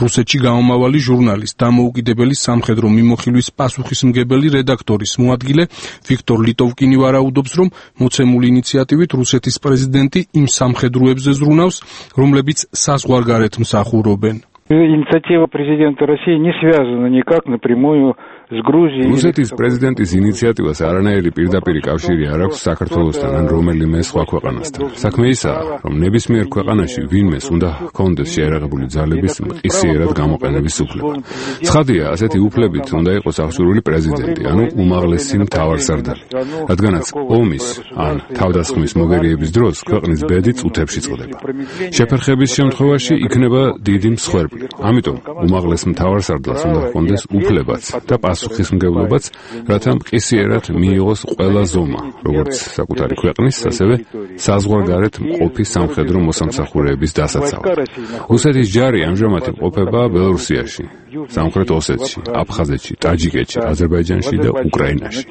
Speaker 3: რუსეთში გამომავალი ჟურნალის დამოუკიდებელი სამხედრო მიმოხილვის პასუხისმგებელი რედაქტორის მოადგილე ვიქტორ ლიტოვკინი ვარაუდობს, რომ მოცემული ინიციატივით რუსეთის პრეზიდენტი იმ სამხედროებზე ზრუნავს, რომლებიც საზღვარგარეთ მსახურობენ.
Speaker 15: Инициатива президента России не связана никак напрямую с Грузией.
Speaker 6: რუსეთის პრეზიდენტის ინიციატივას არანაირი პირდაპირი კავშირი არ აქვს საქართველოსთან ან რომელიმე სხვა ქვეყანასთან. საქმე ისაა, რომ ნებისმიერ ქვეყანაში ვინმეს უნდა ჰქონდეს შეიარაღებული ძალების მყისიერად გამოყენების უფლება. ცხადია, ასეთი უფლებით უნდა იყოს აღჭურვილი პრეზიდენტი, ანუ უმაღლესი მთავარსარდალი. რადგანაც ომის ან თავდასხმის მოგერიების დროს ქვეყნის ბედი წუთებში წყდება. შეფერხების შემთხვევაში იქნება დიდი მსხვერპლი. ამიტომ უმაღლეს მთავარსარდალს უნდა ჰქონდეს უფლებაც და პასუხისმგებლობაც, რათა მყისიერად მიიღოს ყველა ზომა, როგორც საკუთარი ქვეყნის, ასევე საზღვარგარეთ მყოფი სამხედრო მოსამსახურეების დასაცავად. რუსეთის ჯარი ამჟამად იმყოფება ბელორუსიაში, სამხრეთ ოსეთში, აფხაზეთში, ტაჯიკეთში, აზერბაიჯანში და უკრაინაში.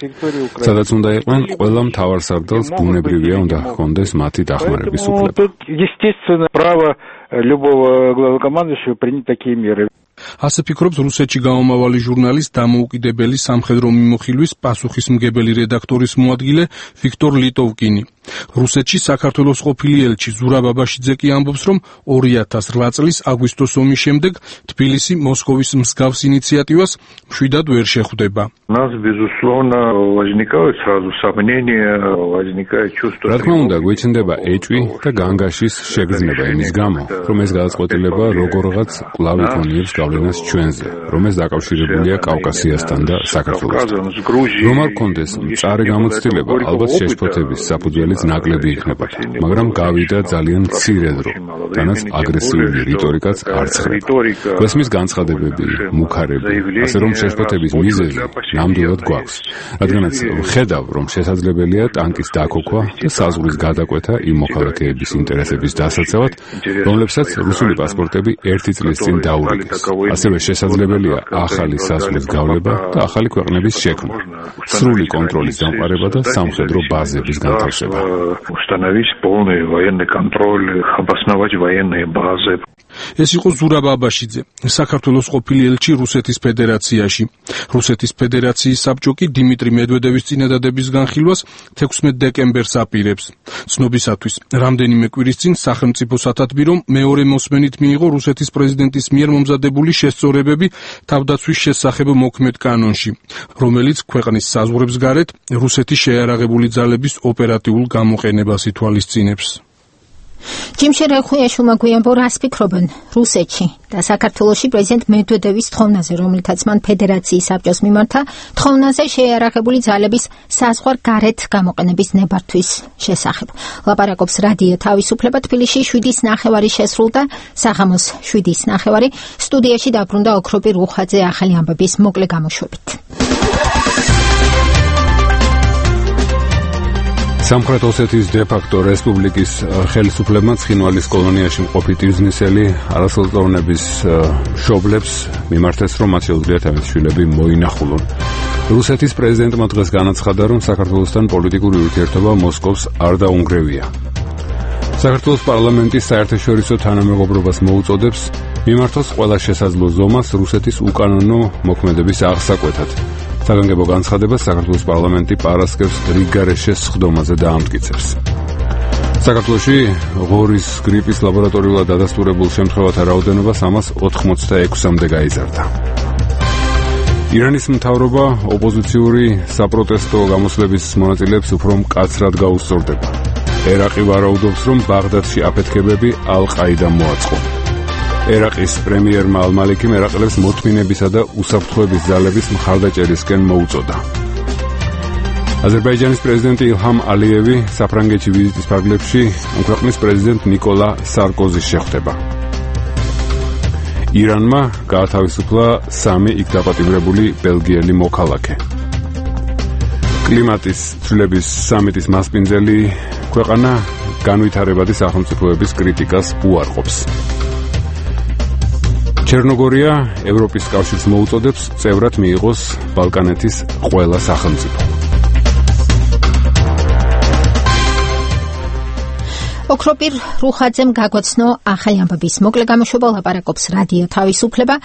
Speaker 6: სადაც უნდა იყვნენ ყველა მთავარსარდალს ბუნებრივია უნდა ჰქონდეს მათი დახმარების უფლება.
Speaker 15: любого главнокомандующего принять такие меры.
Speaker 3: ასე ფიქრობს რუსეთში გამომავალი ჟურნალის დამოუკიდებელი სამხედრო მიმოხილვის პასუხისმგებელი რედაქტორის მოადგილე ვიქტორ ლიტოვკინი. რუსეთში საქართველოს ყოფილი ელჩი ზურაბ აბაშიძე კი ამბობს, რომ ორი ათას რვა წლის აგვისტოს ომის შემდეგ თბილისი მოსკოვის მსგავს ინიციატივას მშვიდად ვერ შეხვდება.
Speaker 4: Нас, безусловно, возникают сразу сомнения, возникает чувство.
Speaker 6: რა თქმა უნდა, გვეჩნდება ეჭვი და განგაშის შეგრძნება იმის გამო, რომ ეს გადაწყვეტილება როგორღაც კვლავ იქონიებს გავლენას ჩვენზე, რომ ეს დაკავშირებულია კავკასიასთან და საქართველოსთან. რომ არ გქონდეს მწარე გამოცდილება, ალბათ შეშფოთების საფუძველიც ნაკლები იქნებოდა, მაგრამ გავიდა ძალიან მცირე დრო, თანაც აგრესიული რიტორიკაც არ ცხრება. გვესმის განცხადებები, მუქარები, ასე რომ შეშფოთების მიზეზი ნამდვილად გვაქვს, რადგანაც ვხედავ, რომ შესაძლებელია ტანკის დაქოქვა და საზღვრის გადაკვეთა იმ მოქალაქეების ინტერესების დასაცავად, რომლებსაც რუსული პასპორტები ერთი წლის წინ დაურიგეს. ასევე შესაძლებელია ახალი საზღვრის გავლება და ახალი ქვეყნების შექმნა, სრული კონტროლის დამყარება და სამხედრო ბაზების განთავსება.
Speaker 4: Установить полный военный контроль, обосновать военные базы.
Speaker 3: ეს იყო ზურაბ აბაშიძე, საქართველოს ყოფილი ელჩი რუსეთის ფედერაციაში. რუსეთის ფედერაციის საბჭო კი დიმიტრი მედვედევის წინადადების განხილვას თექვსმეტ დეკემბერს აპირებს. ცნობისათვის, რამდენიმე კვირის წინ სახელმწიფო სათათბირომ მეორე მოსმენით მიიღო რუსეთის პრეზიდენტის მიერ მომზადებული შესწორებები თავდაცვის შესახებ მოქმედ კანონში, რომელიც ქვეყნის საზღვრებს გარეთ რუსეთის შეიარაღებული ძალების ოპერატიულ გამოყენებას ითვალისწინებს.
Speaker 1: ჯიმშე რეხუიაშვილმა გვიანბო რას ფიქრობენ რუსეთში და საქართველოში პრეზიდენტ მედვედევის თხოვნაზე, რომლითაც მან ფედერაციის საბჭოს მიმართა თხოვნაზე შეიარაღებული ძალების საზღვარ გარეთ გამოყენების ნებართვის შესახებ. ლაპარაკობს რადიო თავისუფლება. თბილისში შვიდის ნახევარი შესრულდა, საღამოს შვიდის ნახევარი. სტუდიაში დაბრუნდა ოქროპი რუხაძე ახალი ამბების მოკლე გამოშვებით.
Speaker 6: სამხრეთ ოსეთის დე-ფაქტო რესპუბლიკის ხელისუფლებმა ცხინვალის კოლონიაში მყოფი ტიზნისელი არასრულწლოვნების მშობლებს მიმართეს, რომ მათ შეუძლიათ ამის შვილები მოინახულონ. რუსეთის პრეზიდენტმა დღეს განაცხადა, რომ საქართველოსთან პოლიტიკური ურთიერთობა მოსკოვს არ დაუნგრევია. საქართველოს პარლამენტის საერთაშორისო თანამეგობრობას მოუწოდებს მიმართოს ყველა შესაძლო ზომას რუსეთის უკანონო მოქმედების აღსაკვეთად. საგანგებო განცხადებას საქართველოს პარლამენტი პარასკევს რიგგარეშეს სხდომაზე დაამტკიცებს. საქართველოში ღორის გრიპის ლაბორატორიულად დადასტურებულ შემთხვევათა რაოდენობა სამას ოთხმოცდაექვსამდე გაიზარდა. ირანის მთავრობა ოპოზიციური საპროტესტო გამოსვლების მონაწილეებს უფრო მკაცრად გაუსწორდება. ერაყი ვარაუდობს, რომ ბაღდადში აფეთქებები ალ-ყაიდამ მოაწყო. ერაყის პრემიერმა ალ-მალიკიმ ერაყელებს მოთმინებისა და უსაფრთხოების ძალების მხარდაჭერისკენ მოუწოდა. აზერბაიჯანის პრეზიდენტი ილჰამ ალიევი საფრანგეთში ვიზიტის ფარგლებში ამ ქვეყნის პრეზიდენტ ნიკოლა სარკოზის შეხვდება. ირანმა გაათავისუფლა სამი იქ დაპატიმრებული ბელგიელი მოქალაქე. კლიმატის ცვლილების სამიტის მასპინძელი ქვეყანა განვითარებადი სახელმწიფოების კრიტიკას უარყოფს. ჩერნოგორია ევროპის კავშირს მოუწოდებს წევრად მიიღოს ბალკანეთის ყველა სახელმწიფო.
Speaker 1: ოქროპირ რუხაძემ გაგვაცნო ახალი ამბების მოკლე გამოშვება, ლაპარაკობს რადიო თავისუფლება.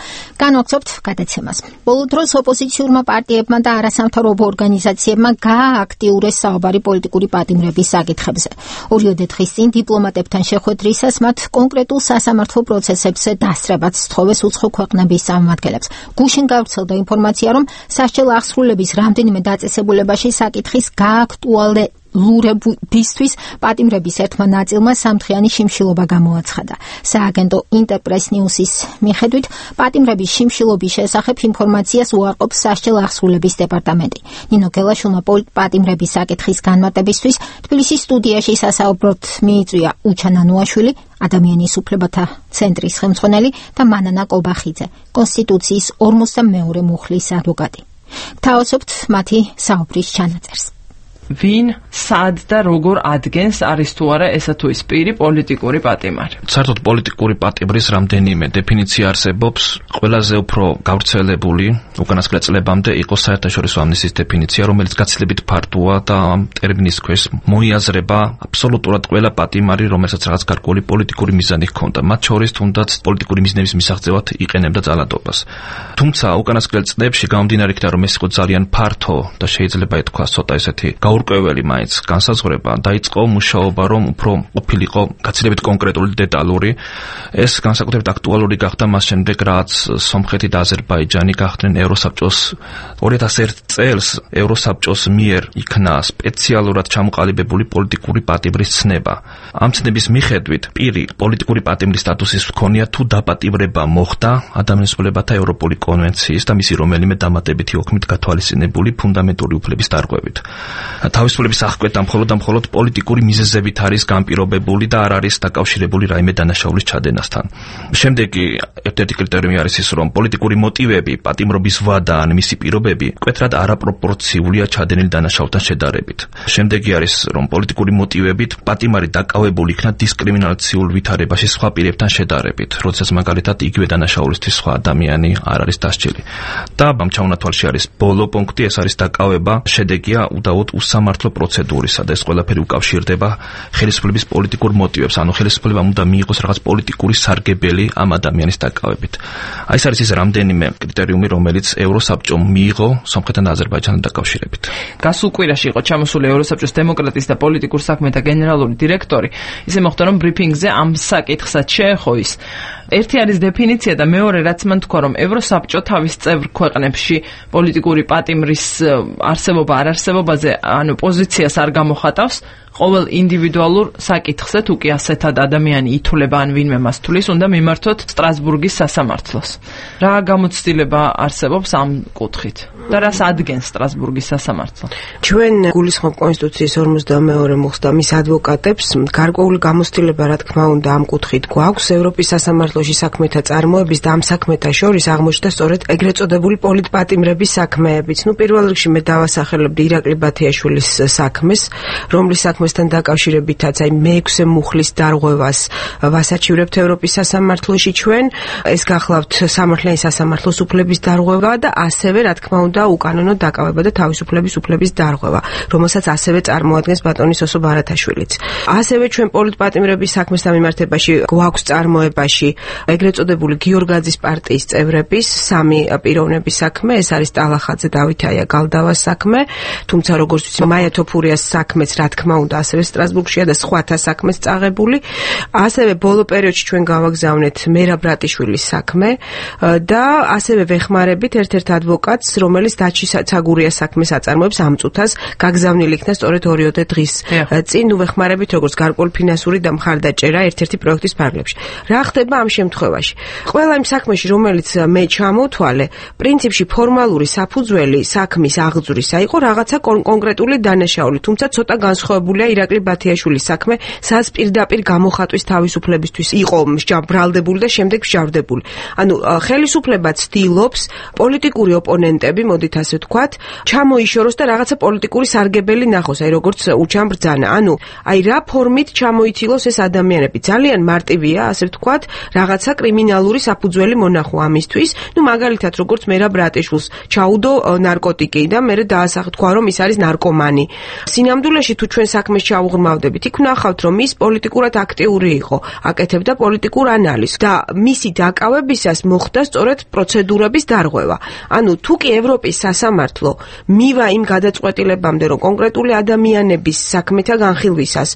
Speaker 1: განვაგრძობთ გადაცემას. ბოლო დროს ოპოზიციურმა პარტიებმა და არასამთავრობო ორგანიზაციებმა გაააქტიურეს საუბარი პოლიტიკური პატიმრების საკითხებზე. ორიოდე დღის წინ დიპლომატებთან შეხვედრისას მათ კონკრეტულ სასამართლო პროცესებზე დასწრებაც სთხოვეს უცხო ქვეყნების წარმომადგენლებს. გუშინ გავრცელდა ინფორმაცია, რომ სასჯელ აღსრულების რამდენიმე დაწესებულებაში საკითხის გააქტუალე ლურებისთვის პატიმრების ერთმა ნაწილმა სამთხრიანი შიმშილობა გამოაცხადა. სააგენტო ინტერპრეს ნიუსის მიხედვით, პატიმრების შიმშილობის შესახებ ინფორმაციას უარყოფს სასჯელ აღსრულების დეპარტამენტი. ნინო გელაშვილმა პატიმრების საკითხის განმარტებისთვის თბილისის სტუდიაში სასაუბროდ მიიწვია უჩან ანუაშვილი, ადამიანის უფლებათა ცენტრის ხელმძღვანელი და მანანა კობახიძე, კონსტიტუციის ორმოცდამეორე მუხლის ადვოკატი. გთავაზობთ მათი საუბრის ჩანაწერს.
Speaker 7: ვინ, სად და როგორ ადგენს არის თუ არა ესა თუ ის პირი პოლიტიკური პატიმარი.
Speaker 9: საერთოდ პოლიტიკური პატიმრის რამდენიმე დეფინიცია არსებობს. ყველაზე უფრო გავრცელებული უკანასკნელ წლებამდე იყო საერთაშორისო ამნისტიის დეფინიცია, რომელიც გაცილებით ფართოა და ამ ტერმინის ქვეშ მოიაზრება აბსოლუტურად ყველა პატიმარი, რომელსაც რაღაც გარკვეული პოლიტიკური მიზანი ჰქონდა. მათ შორის თუნდაც პოლიტიკური მიზნების მისაღწევად იყენებდა ძალადობას. თუმცა უკანასკნელ წლებში გამომდინარე იქიდან, რომ ეს იყო ძალიან ფართო და შეიძლება ითქვას ცოტა ესეთი გაურკვეველი მაინც განსაზღვრება, დაიწყო მუშაობა, რომ უფრო ყოფილიყო გაცილებით კონკრეტული დეტალური. ეს განსაკუთრებით აქტუალური გახდა მას შემდეგ, რაც სომხეთი და აზერბაიჯანი გახდნენ ევროსაბჭოს ორი ათას ერთი წელს ევროსაბჭოს მიერ იქნა სპეციალურად ჩამოყალიბებული პოლიტიკური პატიმრის ცნება. ამ ცნების მიხედვით პირი პოლიტიკური პატიმრის სტატუსის მქონია თუ დაპატიმრება მოხდა ადამიანის უფლებათა ევროპული კონვენციის და მისი რომელიმე დამატებითი ოქმით გათვალისწინებული ფუნდამენტური უფლების დარღვევით. თავისუფლების აღკვეთა მხოლოდ და მხოლოდ პოლიტიკური მიზეზებით არის განპირობებული და არ არის დაკავშირებული რაიმე დანაშაულის ჩადენასთან. შემდეგი ერთ-ერთი კრიტერიუმი არის ის, რომ პოლიტიკური მოტივები, პატიმრობის ვადა ან მისი პირობები მკვეთრად არაპროპორციულია ჩადენილ დანაშაულთან შედარებით. შემდეგი არის, რომ პოლიტიკური მოტივებით პატიმარი დაკავებული იქნა დისკრიმინაციულ ვითარებაში სხვა პირებთან შედარებით, როდესაც მაგალითად იგივე დანაშაულისთვის სხვა ადამიანი არ არის დასჯილი. და ამ ჩაუნათვალში არის ბოლო პუნქტი, ეს არის დაკავება, შედეგია უდაოდ უსამართლო პროცედურისა და ეს ყველაფერი უკავშირდება ხელისუფლების პოლიტიკურ მოტივებს, ანუ ხელისუფლებამ უნდა მიიღოს რაღაც პოლიტიკური სარგებელი ამ ადამიანის დაკავებით. აი ეს არის ის რამდენიმე კრიტერიუმი, რომელიც ევროსაბჭომ მიიღო სომხეთთან და აზერბაიჯანთან დაკავშირებით.
Speaker 7: გასულ კვირაში იყო ჩამოსული ევროსაბჭოს დემოკრატიის და პოლიტიკურ საქმეთა გენერალური დირექტორი. ისე მოხდა, რომ ბრიფინგზე ამ საკითხსაც შეეხო ის. ერთი არის დეფინიცია და მეორე რაც მან თქვა, რომ ევროსაბჭო თავის წევრ ქვეყნებში პოლიტიკური პატიმრის არსებობა არ არსებობაზე, ანუ პოზიციას არ გამოხატავს. ყოველ ინდივიდუალურ საკითხზე თუ კი ასეთად ადამიანი ითვლება ან ვინმე მას თulis, უნდა მიმართოთ სტრასბურგის სასამართლოს. რა გამოცდილება არსებობს ამ კუთხით და რას ადგენს სტრასბურგის სასამართლო?
Speaker 5: ჩვენ გულისხმობ კონსტიტუციის ორმოცდამეორე მუხსტამის ადვოკატებს გარკვეული გამოცდილება რა თქმა უნდა ამ კუთხით გვაქვს. ევროპის სასამართლოში საქმეთა წარმოების და ამ საქმეთა შორის აღმოჩნდა სწორედ ეგრეთ წოდებული პოლიტპატიმრების საქმეებიც. ნუ პირველ რიგში მე დავასახელებდი ირაკლი ბათიაშვილის საქმეს, რომლის საქმესთან დაკავშირებითაც აი მეექვსე მუხლის დარღვევას ვასაჩივრებთ ევროპის სასამართლოში ჩვენ. ეს გახლავთ სამართლიანი სასამართლოს უფლების დარღვევა და ასევე რა თქმა უნდა უკანონო დაკავება და თავისუფლების უფლების დარღვევა, რომელსაც ასევე წარმოადგენს ბატონი სოსო ბარათაშვილიც. ასევე ჩვენ პოლიტპატიმრების საქმესთან მიმართებაში გვაქვს წარმოებაში ეგრეთ წოდებული გიორგაძის პარტიის წევრების სამი პიროვნების საქმე, ეს არის ტალახაძე დავითაია გალდავას საქმე, თუმცა როგორც ვიცი მაია თოფურიას საქმეც რა თქმა უნდა ასევე სტრასბურგშია და სხვათა საქმეც წაღებული. ასევე ბოლო პერიოდში ჩვენ გავაგზავნეთ მერაბ ბრატიშვილის საქმე და ასევე ვეხმარებით ერთ-ერთ ადვოკატს, რომელიც დაჩი ცაგურიას საქმეს აწარმოებს ამ წუთას, გაგზავნილი იქნა სწორედ ორიოდე დღის წინ. ნუ ვეხმარებით როგორც გარკვეული ფინანსური და მხარდაჭერა ერთ-ერთი პროექტის ფარგლებში. რა ხდება ამ შემთხვევაში? ყველა იმ საქმეში, რომელიც მე ჩამოვთვალე, პრინციპში ფორმალური საფუძველი საქმის აღძვრისა იყო რაღაცა კონკრეტული დანაშაული, თუმცა ცოტა განსხვავებულია ირაკლი ბათიაშვილის საქმე, სადაც პირდაპირ გამოხატვის თავისუფლებისთვის იყო ბრალდებული და შემდეგ მსჯავრდებული. ანუ ხელისუფლება ცდილობს პოლიტიკური ოპონენტები, მოდით ასე ვთქვათ, ჩამოიშოროს და რაღაცა პოლიტიკური სარგებელი ნახოს, აი როგორც უჩამ ბრძანა. ანუ აი რა ფორმით ჩამოიცილოს ეს ადამიანები. ძალიან მარტივია, ასე ვთქვათ, რაღაცა კრიმინალური საფუძველი მონახო ამისთვის. ნუ მაგალითად, როგორც მერაბ ბრატიშვილს ჩაუდო ნარკოტიკი და მე დაასახთქვა, რომ ის არის ნარკომანი. სინამდვილეში თუ ჩვენ საქმეს ჩავუღრმავდებით, იქ ვნახავთ, რომ ის პოლიტიკურად აქტიური იყო, აკეთებდა პოლიტიკურ ანალიზს და მისი დაკავებისას მოხდა სწორედ პროცედურების დარღვევა. ანუ თუ კი ევროპის სასამართლო მივა იმ გადაწყვეტილებამდე, რომ კონკრეტული ადამიანების საქმეთა განხილვისას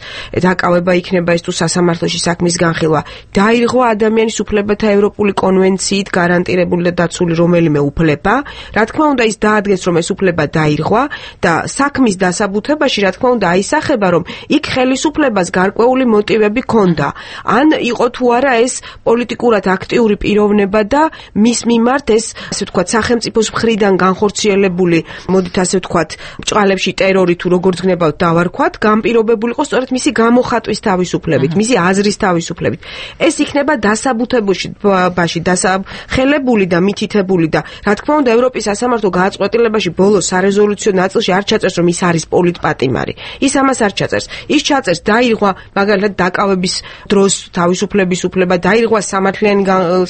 Speaker 5: დაკავება იქნება ეს თუ სასამართლოში საქმის განხილვა, დაირღვა ადამიანის უფლებათა ევროპული კონვენციით გარანტირებული და დაცული რომელიმე უფლება, რა თქმა უნდა ის დაადგენს, რომ ეს უფლება დაირღვა და საქმის დასაბუთებაში რა თქმა უნდა აისახება, რომ იქ ხელისუფლებას გარკვეული მოტივები ჰქონდა. ან იყო თუ არა ეს პოლიტიკურად აქტიური პიროვნება და მის მიმართ ეს, ასე ვთქვათ, სახელმწიფოს მხრიდან განხორციელებული, მოდით ასე ვთქვათ, ბჭყალებში ტერორი თუ როგორც გნებავთ დავარქვათ, განპირობებული იყო სწორედ მისი გამოხატვის თავისუფლებით, მისი აზრის თავისუფლებით. ეს იქნება დასაბუთებაში, დასახელებული და მითითებული და რა თქმა უნდა ევროპის სასამართლო გააწყვეტილებაში ბოლოს სარეზოლუციო ნაწილში არ ჩაწერს, რომ ის არის პოლიტპატიმარი. ის ამას არ ჩაწერს. ის ჩაწერს დაირღვა მაგალითად დაკავების დროს თავისუფლების უფლება, დაირღვა სამართლიანი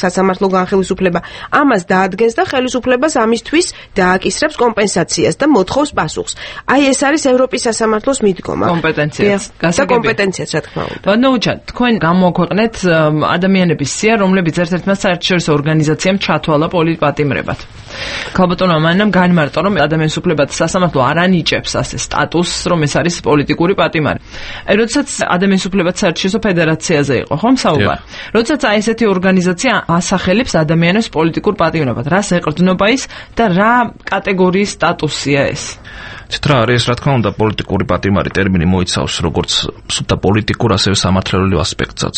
Speaker 5: სასამართლო განხილვის ამას დაადგენს და ხელისუფლებას ამისთვის დააკისრებს კომპენსაციას და მოთხოვს პასუხს. აი ეს არის ევროპის სასამართლოს მიდგომა.
Speaker 7: კომპეტენციაც.
Speaker 5: და კომპეტენციაც რა თქმა უნდა.
Speaker 7: ნოუჩა, თქვენ გამოქვეყნეთ ადამიანების სია, რომლებიც ერთ-ერთმა საერთაშორისო ორგანიზაციამ ჩათვალა პოლიტპატიმრებად. ქალბატონმა მანამ განმარტა, რომ ადამიანის უფლებათა სასამართლო არ ანიჭებს ასე სტატუსს, რომ ეს არის პოლიტიკური პატიმარი. აი, როდესაც ადამიანის უფლებათა საერთაშორისო ფედერაციაზე იყო, ხომ საუბარი? როდესაც აი ესეთი ორგანიზაცია ასახელებს ადამიანის პოლიტიკურ პატიმრებად, რას ეყრდნობა ის და რა კატეგორიის სტატუსია ეს?
Speaker 9: ცით რა არის, რა თქმა უნდა, პოლიტიკური პატიმარი ტერმინი მოიცავს როგორც სუფთა პოლიტიკურ, ასევე სამართლეულ ასპექტსაც.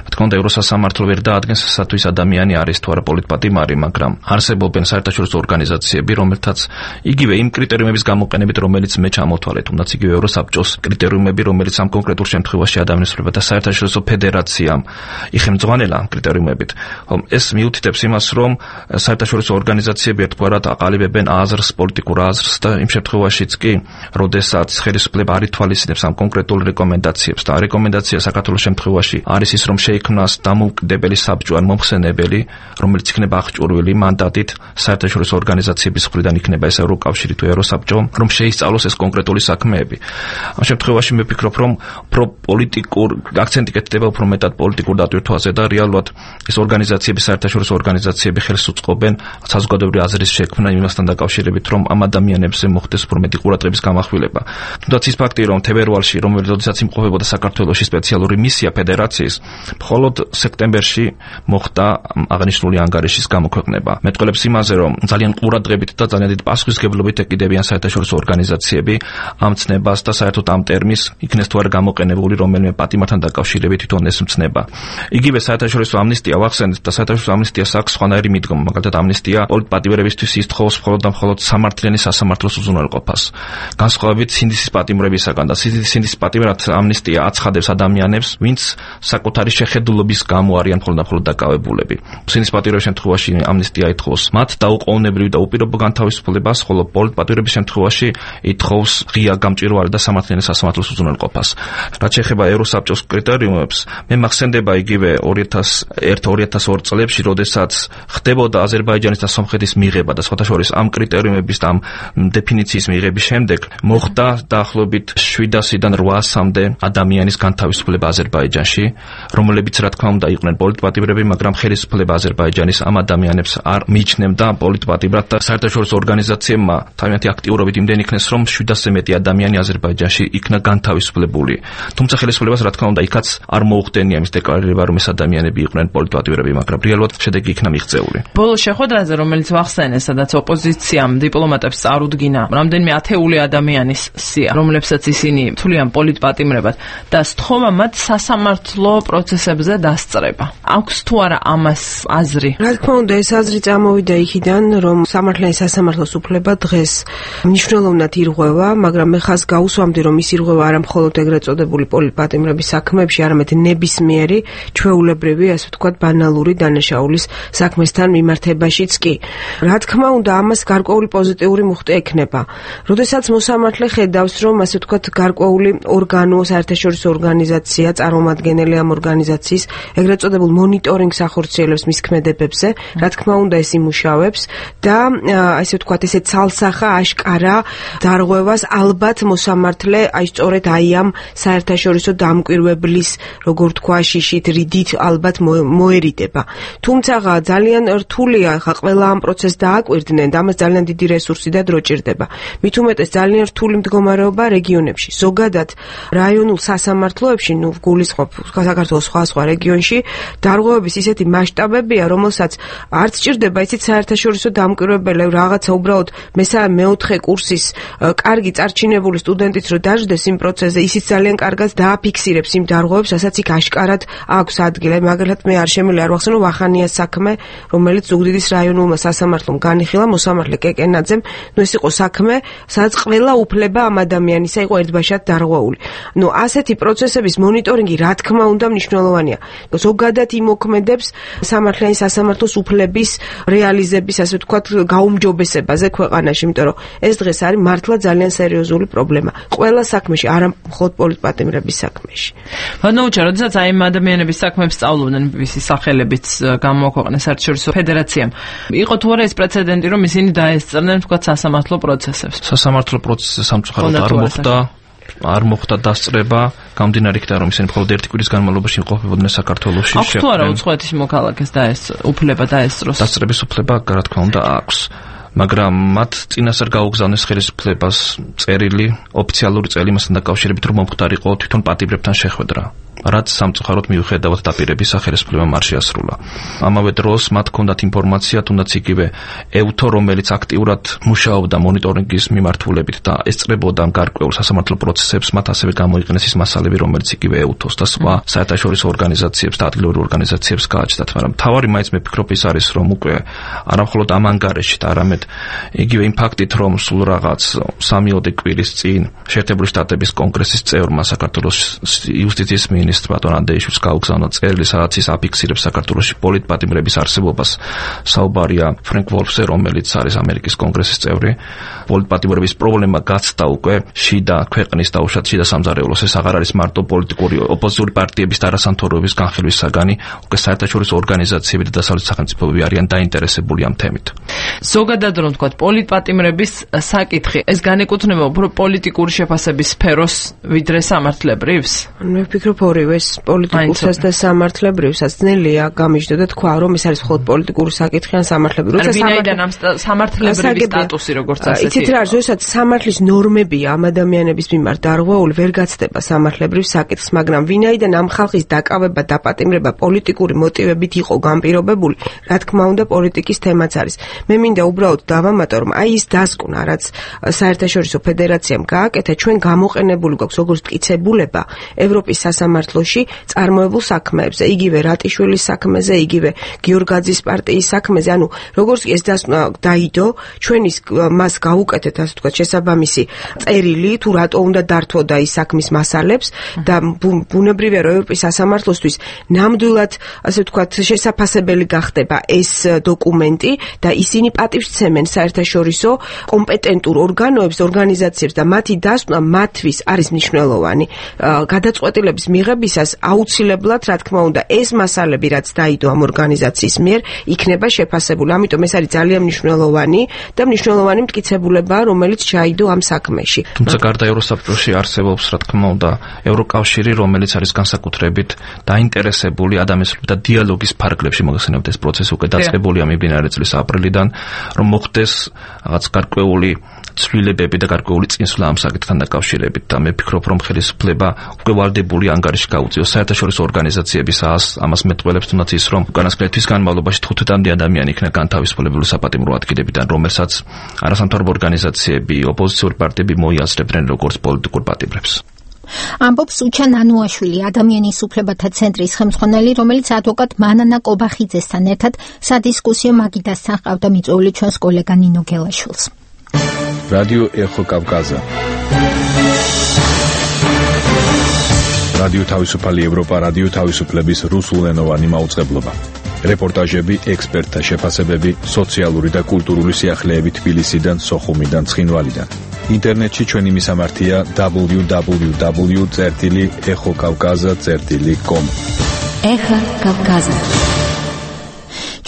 Speaker 9: რა თქმა უნდა, ევროსასამართლო ვერ დაადგენს სათვის ადამიანი არის თუ არა პოლიტპატიმარი, მაგრამ არსებობენ საერთაშორისო ორგანიზაციები, რომელთაც იგივე იმ კრიტერიუმების გამოყენებით, რომელიც მე ჩამოთვალე, თუნდაც იგივე ევროსაბჭოს კრიტერიუმები, რომელიც ამ კონკრეტულ შემთხვევაში ადამიანის უფლებათა საერთაშორისო ფედერაციამ იხელმძღვანელა კრიტერიუმებით. ეს მიუთითებს იმას, რომ საერთაშორისო ორგანიზაციები ერთგვარად აყალიბებენ აზრს, პოლიტიკურ აზრს და იმ შემთხვევაში კი, როდესაც ხელისუფლება არ ითვალისწინებს ამ კონკრეტულ რეკომენდაციებს და რეკომენდაცია საქართველოს შემთხვევაში არის ის, რომ შეიქმნას დამოუკიდებელი საბჭო ან მომხსენებელი, რომელიც იქნება აღჭურვილი მანდატით საერთაშორისო ორგანიზაციების მხრიდან იქნება ეს ევროკავშირი თუ ევროსაბჭო, რომ შეისწავლოს ეს კონკრეტული საქმეები. ამ შემთხვევაში მე ვფიქრობ, რომ უფრო პოლიტიკურ აქცენტი კეთდება უფრო მეტად პოლიტიკურ დატვირთვაზე და რეალურად ეს ორგანიზაციები, საერთაშორისო ორგანიზაციები ხელს უწყობენ საზოგადოებრივი აზრის შექმნა იმასთან დაკავშირებით, რომ ამ ადამიანებზე მოხდეს უფრო მეტი ყურადღების გამახვილება. თუნდაც ის ფაქტი, რომ თებერვალში, რომელიც როდესაც იმყოფებოდა საქართველოში სპეციალური მისია ფედერაციის, მხოლოდ სექტემბერში მოხდა აღნიშნული ანგარიშის გამოქვეყნება. მეტყველებს იმაზე, რომ ძალიან ყურადღებით და ძალიან დიდ პასუხისმგებლობით ეკიდებიან საერთაშორისო ორგანიზაციები ამ ცნებას და საერთოდ ამ ტერმინს იქნეს თუ არა გამოყენებული რომელიმე პატიმართან დაკავშირებით თვითონ ეს მცნება. იგივე საერთაშორისო ამნისტია ვახსენეთ და საერთაშორისო ამნისტიას აქვს სხვანაირი მიდგომა, მაგალითად ამნისტია პოლიტპატიმრებისთვის ითხოვს მხოლოდ და მხოლოდ სამართლიანი სასამართლოს უზრუნველყოფას. განსხვავებით სინდისის პატიმრებისაგან და სინდისის პატიმრად ამნისტია აცხადებს ადამიანებს, ვინც საკუთარი შეხედულობის გამო არიან მხოლოდ და მხოლოდ დაკავებულები. სინდისის პატიმრების შემთხვევაში ამნისტია ითხოვს მათ დაუყოვნებლივ და უპირობო განთავისუფლებას, ხოლო პოლიტპატიმრების შემთხვევაში ითხოვს ღია გამჭვირვალე და სამართლიანი სასამართლოს უზრუნველყოფას. რაც შეეხება ევროსაბჭოს კრიტერიუმებს, მე მახსენდება იგივე ორი ათას ერთ ორი ათას ორი წლებში, როდესაც ხდებოდა აზერბაიჯანის და სომხეთის მიღება და სხვათა შორის ამ კრიტერიუმების და ამ დეფინიციის მიღების შემდეგ მოხდა დაახლოებით შვიდასიდან რვაასამდე ადამიანის განთავისუფლება აზერბაიჯანში, რომლებიც რა თქმა უნდა იყვნენ პოლიტპატიმრები, მაგრამ ხელისუფლება აზერბაიჯანის ამ ადამიანებს არ მიიჩნევდა პოლიტპატიმრად და საერთაშორისო ორგანიზაციებმა თავიანთი აქტიურობით იმდენი იქნეს, რომ შვიდასზე მეტი ადამიანი აზერბაიჯანში იქნა განთავისუფლებული. თუმცა ხელისუფლებას რა თქმა უნდა იქაც არ მოუხდენია მის დეკლარირება, რომ ეს ადამიანები იყვნენ პოლიტპატიმრები, მაგრამ რეალურად შედეგი იქნა მიღწეული.
Speaker 7: ბოლო შეხვედრაზე, რომელიც ვახსენე, სადაც ოპოზიციამ დიპლომატებს წარუდგინა რამდენიმე ათეული ადამიანის სია, რომლებსაც ისინი თვლიან პოლიტპატიმრებად და სთხოვა მათ სასამართლო პროცესებზე დასწრება. აქვს თუ არა ამას აზრი?
Speaker 5: რა თქმა უნდა, ეს აზრი წამოვიდა იქიდან, რომ სამართლიანი სასამართლოს უფლება დღეს მნიშვნელოვნად ირღვევა, მაგრამ მე ხას გაუსვამდი, რომ ის ირღვევა არა მხოლოდ ეგრეთ წოდებული პოლიტპატიმრების საქმეებში, არამედ ნებისმიერი ჩვეულებრივი, ასე ვთქვათ, ბანალური დანაშაულის საქმესთან მიმართებაშიც კი. რა თქმა უნდა, ამას გარკვეული პოზიტიური მუხტი ექნება. როდესაც მოსამართლე ხედავს, რომ ასე ვთქვათ, გარკვეული ორგანო, საერთაშორისო ორგანიზაცია, წარმომადგენელი ამ ორგანიზაციის ეგრეთ წოდებულ მონიტორინგს ახორციელებს მის ქმედებებზე, რა თქმა უნდა, ეს იმუშავებს და ასე ვთქვათ, ესე ცალსახა აშკარა დარღვევას ალბათ მოსამართლე აი სწორედ აი ამ საერთაშორისო დამკვირვებლის, როგორ თქვა, შიშით, რიდით ალბათ მოერიდება. თუმცა ძალიან რთულია ხა ყველა ამ პროცესს დააკვირდნენ და ამას ძალიან დიდი რესურსი და დრო ჭირდება. მით უმეტეს ძალიან რთული მდგომარეობა რეგიონებში. ზოგადად რაიონულ სასამართლოებში, ნუ გულისხმობ საქართველოს სხვა სხვა რეგიონში, დარღვევების ისეთი მასშტაბებია, რომელსაც არც ჭირდება ისეთ საერთაშორისო დამკვირვებელი, რაღაცა უბრალოდ მესამე მეოთხე კურსის კარგი წარჩინებული სტუდენტიც რო დაждდეს იმ პროცესზე, ისიც ძალიან კარგად დააფიქსირებს იმ დარღვევებს, რასაც იქ აშკარად აქვს ადგილი. მაგალითად მე არ შემიძლია არ ვახსენო ვახანიას საქმე, რომელიც ზუგდიდის რაიონულმა სასამართლომ განიხილა, მოსამართლე კეკენაძემ, ნუ ეს იყო საქმე სადაც ყველა უფლება ამ ადამიანისა იყო ერთბაშად დარღვეული. ნუ ასეთი პროცესების მონიტორინგი რა თქმა უნდა მნიშვნელოვანია. ზოგადად იმოქმედებს სამართლიანი სასამართლოს უფლების რეალიზების, ასე ვთქვათ, გაუმჯობესებაზე ქვეყანაში, იმიტომ რომ ეს დღეს არის მართლა ძალიან სერიოზული პრობლემა. ყველა საქმეში, არა მხოლოდ პოლიტპატიმრების საქმეში.
Speaker 7: ვანოუჩა, როდესაც აი ამ ადამიანების საქმეებს სწავლობდნენ ბი ბი სი-ის სახელებით გამოაქვეყნა საერთაშორისო ფედერაციამ. იყო თუ არა ეს პრეცედენტი, რომ ისინი დაესწრნენ, თქვათ, სასამართლო პროცესებს.
Speaker 9: სასამართლო პროცესზე სამწუხაროდ არ მოხდა. არ მოხდა დასწრება, გამდინარე იქიდან რომ ისინი მხოლოდ ერთი კვირის განმავლობაში იმყოფებოდნენ საქართველოში.
Speaker 7: აქვს თუ არა უცხოეთის მოქალაქეს დაესწრო, უფლება დაესწროს?
Speaker 9: დასწრების უფლება, რა თქმა უნდა, აქვს. მაგრამ მათ წინასწარ გაუგზავნეს ხელისუფლებას წერილი, ოფიციალური წერილი მასთან დაკავშირებით, რომ მომხდარიყო თვითონ პატიმრებთან შეხვედრა. რაც სამწუხაროდ მიუხედავად დაპირების სახელმწიფო არ შეასრულა. ამავე დროს მათ ჰქონდათ ინფორმაცია, თუნდაც იგივე ევთო, რომელიც აქტიურად მუშაობდა მონიტორინგის მიმართულებით და ესწრებოდა გარკვეულ სასამართლო პროცესებს, მათ ასევე გამოიყენეს ის მასალები, რომელიც იგივე ევთოს და სხვა საერთაშორისო ორგანიზაციებს და ადგილობრივ ორგანიზაციებს გააჩნდათ, მაგრამ თავარი მაინც მე ფიქრობ ის არის, რომ უკვე არამხოლოდ ამ ანგარეში და არამედ იგივე იმ ფაქტით, რომ სულ რაღაც სამი-ოთხი კვირის წინ შეერთებული შტატების კონგრესის წევრმა საქართველოს იუსტიციის მინისტრმა დონ ანდეიშვილს გაუგზავნა წერილი, სადაც ის აფიქსირებს საქართველოში პოლიტპატიმრების არსებობას. საუბარია ფრენკ ვოლფზე, რომელიც არის ამერიკის კონგრესის წევრი. პოლიტპატიმრების პრობლემა გაცდა უკვე შიდა ქვეყნის და უშუალოდ შიდა სამზარეულოს. ეს აღარ არის მარტო პოლიტიკური ოპოზიციური პარტიების და არასამთავრობების განხილვის საგანი, უკვე საერთაშორისო ორგანიზაციები და დასავლეთის სახელმწიფოები არიან დაინტერესებული ამ თემით.
Speaker 7: ზოგადად რომ თქვა პოლიტპატიმრების საკითხი, ეს განეკუთვნება უფრო პოლიტიკური შეფასების სფეროს ვიდრე სამართლებრივს?
Speaker 5: მე ვფიქრობ ორივეს, პოლიტიკურსაც და სამართლებრივსაც. ძნელია გამიჯდო და თქვა, რომ ეს არის მხოლოდ პოლიტიკური საკითხი ან სამართლებრივი.
Speaker 7: როცა ვინაიდან ამ სამართლებრივი სტატუსი როგორც ასეთი.
Speaker 5: იცით რა, როდესაც სამართლის ნორმებია ამ ადამიანების მიმართ დარღვეული, ვერ გაცდება სამართლებრივ საკითხს, მაგრამ ვინაიდან ამ ხალხის დაკავება, დაპატიმრება პოლიტიკური მოტივებით იყო განპირობებული, რა თქმა უნდა პოლიტიკის თემაც არის. მე მინდა უბრალოდ დავამატო, რომ აი ის დასკვნა, რაც საერთაშორისო ფედერაციამ გააკეთა, ჩვენ გამოყენებული გვაქვს როგორც მტკიცებულება ევროპის სასამართლოში წარმოებულ საქმეებზე, იგივე რატიშვილის საქმეზე, იგივე გიორგაძის პარტიის საქმეზე, ანუ როგორც ეს დასკვნა დაიდო, ჩვენ ის მას გავუკეთეთ, ასე ვთქვათ, შესაბამისი წერილი, თუ რატო უნდა დართვოდა ის საქმის მასალებს და ბუნებრივია, რომ ევროპის სასამართლოსთვის ნამდვილად, ასე ვთქვათ, შესაფასებელი გახდება ეს დოკუმენტი და ისინი პატივს ცემენ საერთაშორისო კომპეტენტურ ორგანოებს, ორგანიზაციებს და მათი დასკვნა მათთვის არის მნიშვნელოვანი. გადაწყვეტილების მიღებისას აუცილებლად, რა თქმა უნდა, ეს მასალები, რაც დაიდო ამ ორგანიზაციის მიერ, იქნება შეფასებული. ამიტომ ეს არის ძალიან მნიშვნელოვანი და მნიშვნელოვანი მტკიცებულებაა, რომელიც ჩაიდო ამ საქმეში.
Speaker 9: თუმცა გარდა ევროსაბჭოში არსებობს, რა თქმა უნდა, ევროკავშირი, რომელიც არის განსაკუთრებით დაინტერესებული ადამიანთა დიალოგის ფარგლებში მოგხსენებთ ეს პროცესი უკვე დაწყებულია მიმდინარე წლის აპრილიდან, რომ მოხდეს რაღაც გარკვეული ცვლილებები და გარკვეული წინსვლა ამ საკითხთან დაკავშირებით და მე ვფიქრობ, რომ ხელისუფლება უკვე ვალდებული ანგარიში გაუწიოს საერთაშორისო ორგანიზაციების ამას მეტყველებს, თუნდაც ის, რომ უკანასკნელი თვის განმავლობაში თხუთმეტამდე ადამიანი იქნა განთავისუფლებული საპატიმრო ადგილებიდან, რომელსაც არასამთავრობო ორგანიზაციები, ოპოზიციური პარტიები მოიაზრებდნენ როგორც პოლიტიკურ პატიმრებს.
Speaker 1: ამბობს უჩა ნანუაშვილი, ადამიანის უფლებათა ცენტრის ხელმძღვანელი, რომელიც ადვოკატ მანანა კობახიძესთან ერთად სადისკუსიო მაგიდასთან ყავდა მიწვეული ჩვენს კოლეგა ნინო გელაშვილს.
Speaker 8: რადიო ეხო კავკაზა. რადიო თავისუფალი ევროპა, რადიო თავისუფლების რუსულენოვანი მაუწყებლობა. რეპორტაჟები, ექსპერტთა შეფასებები, სოციალური და კულტურული სიახლეები თბილისიდან, სოხუმიდან, ცხინვალიდან. ინტერნეტში ჩვენი მისამართია დაბლიუ დაბლიუ დაბლიუ წერტილი ეხო კავკაზა წერტილი კომ.
Speaker 1: ეხო კავკაზა.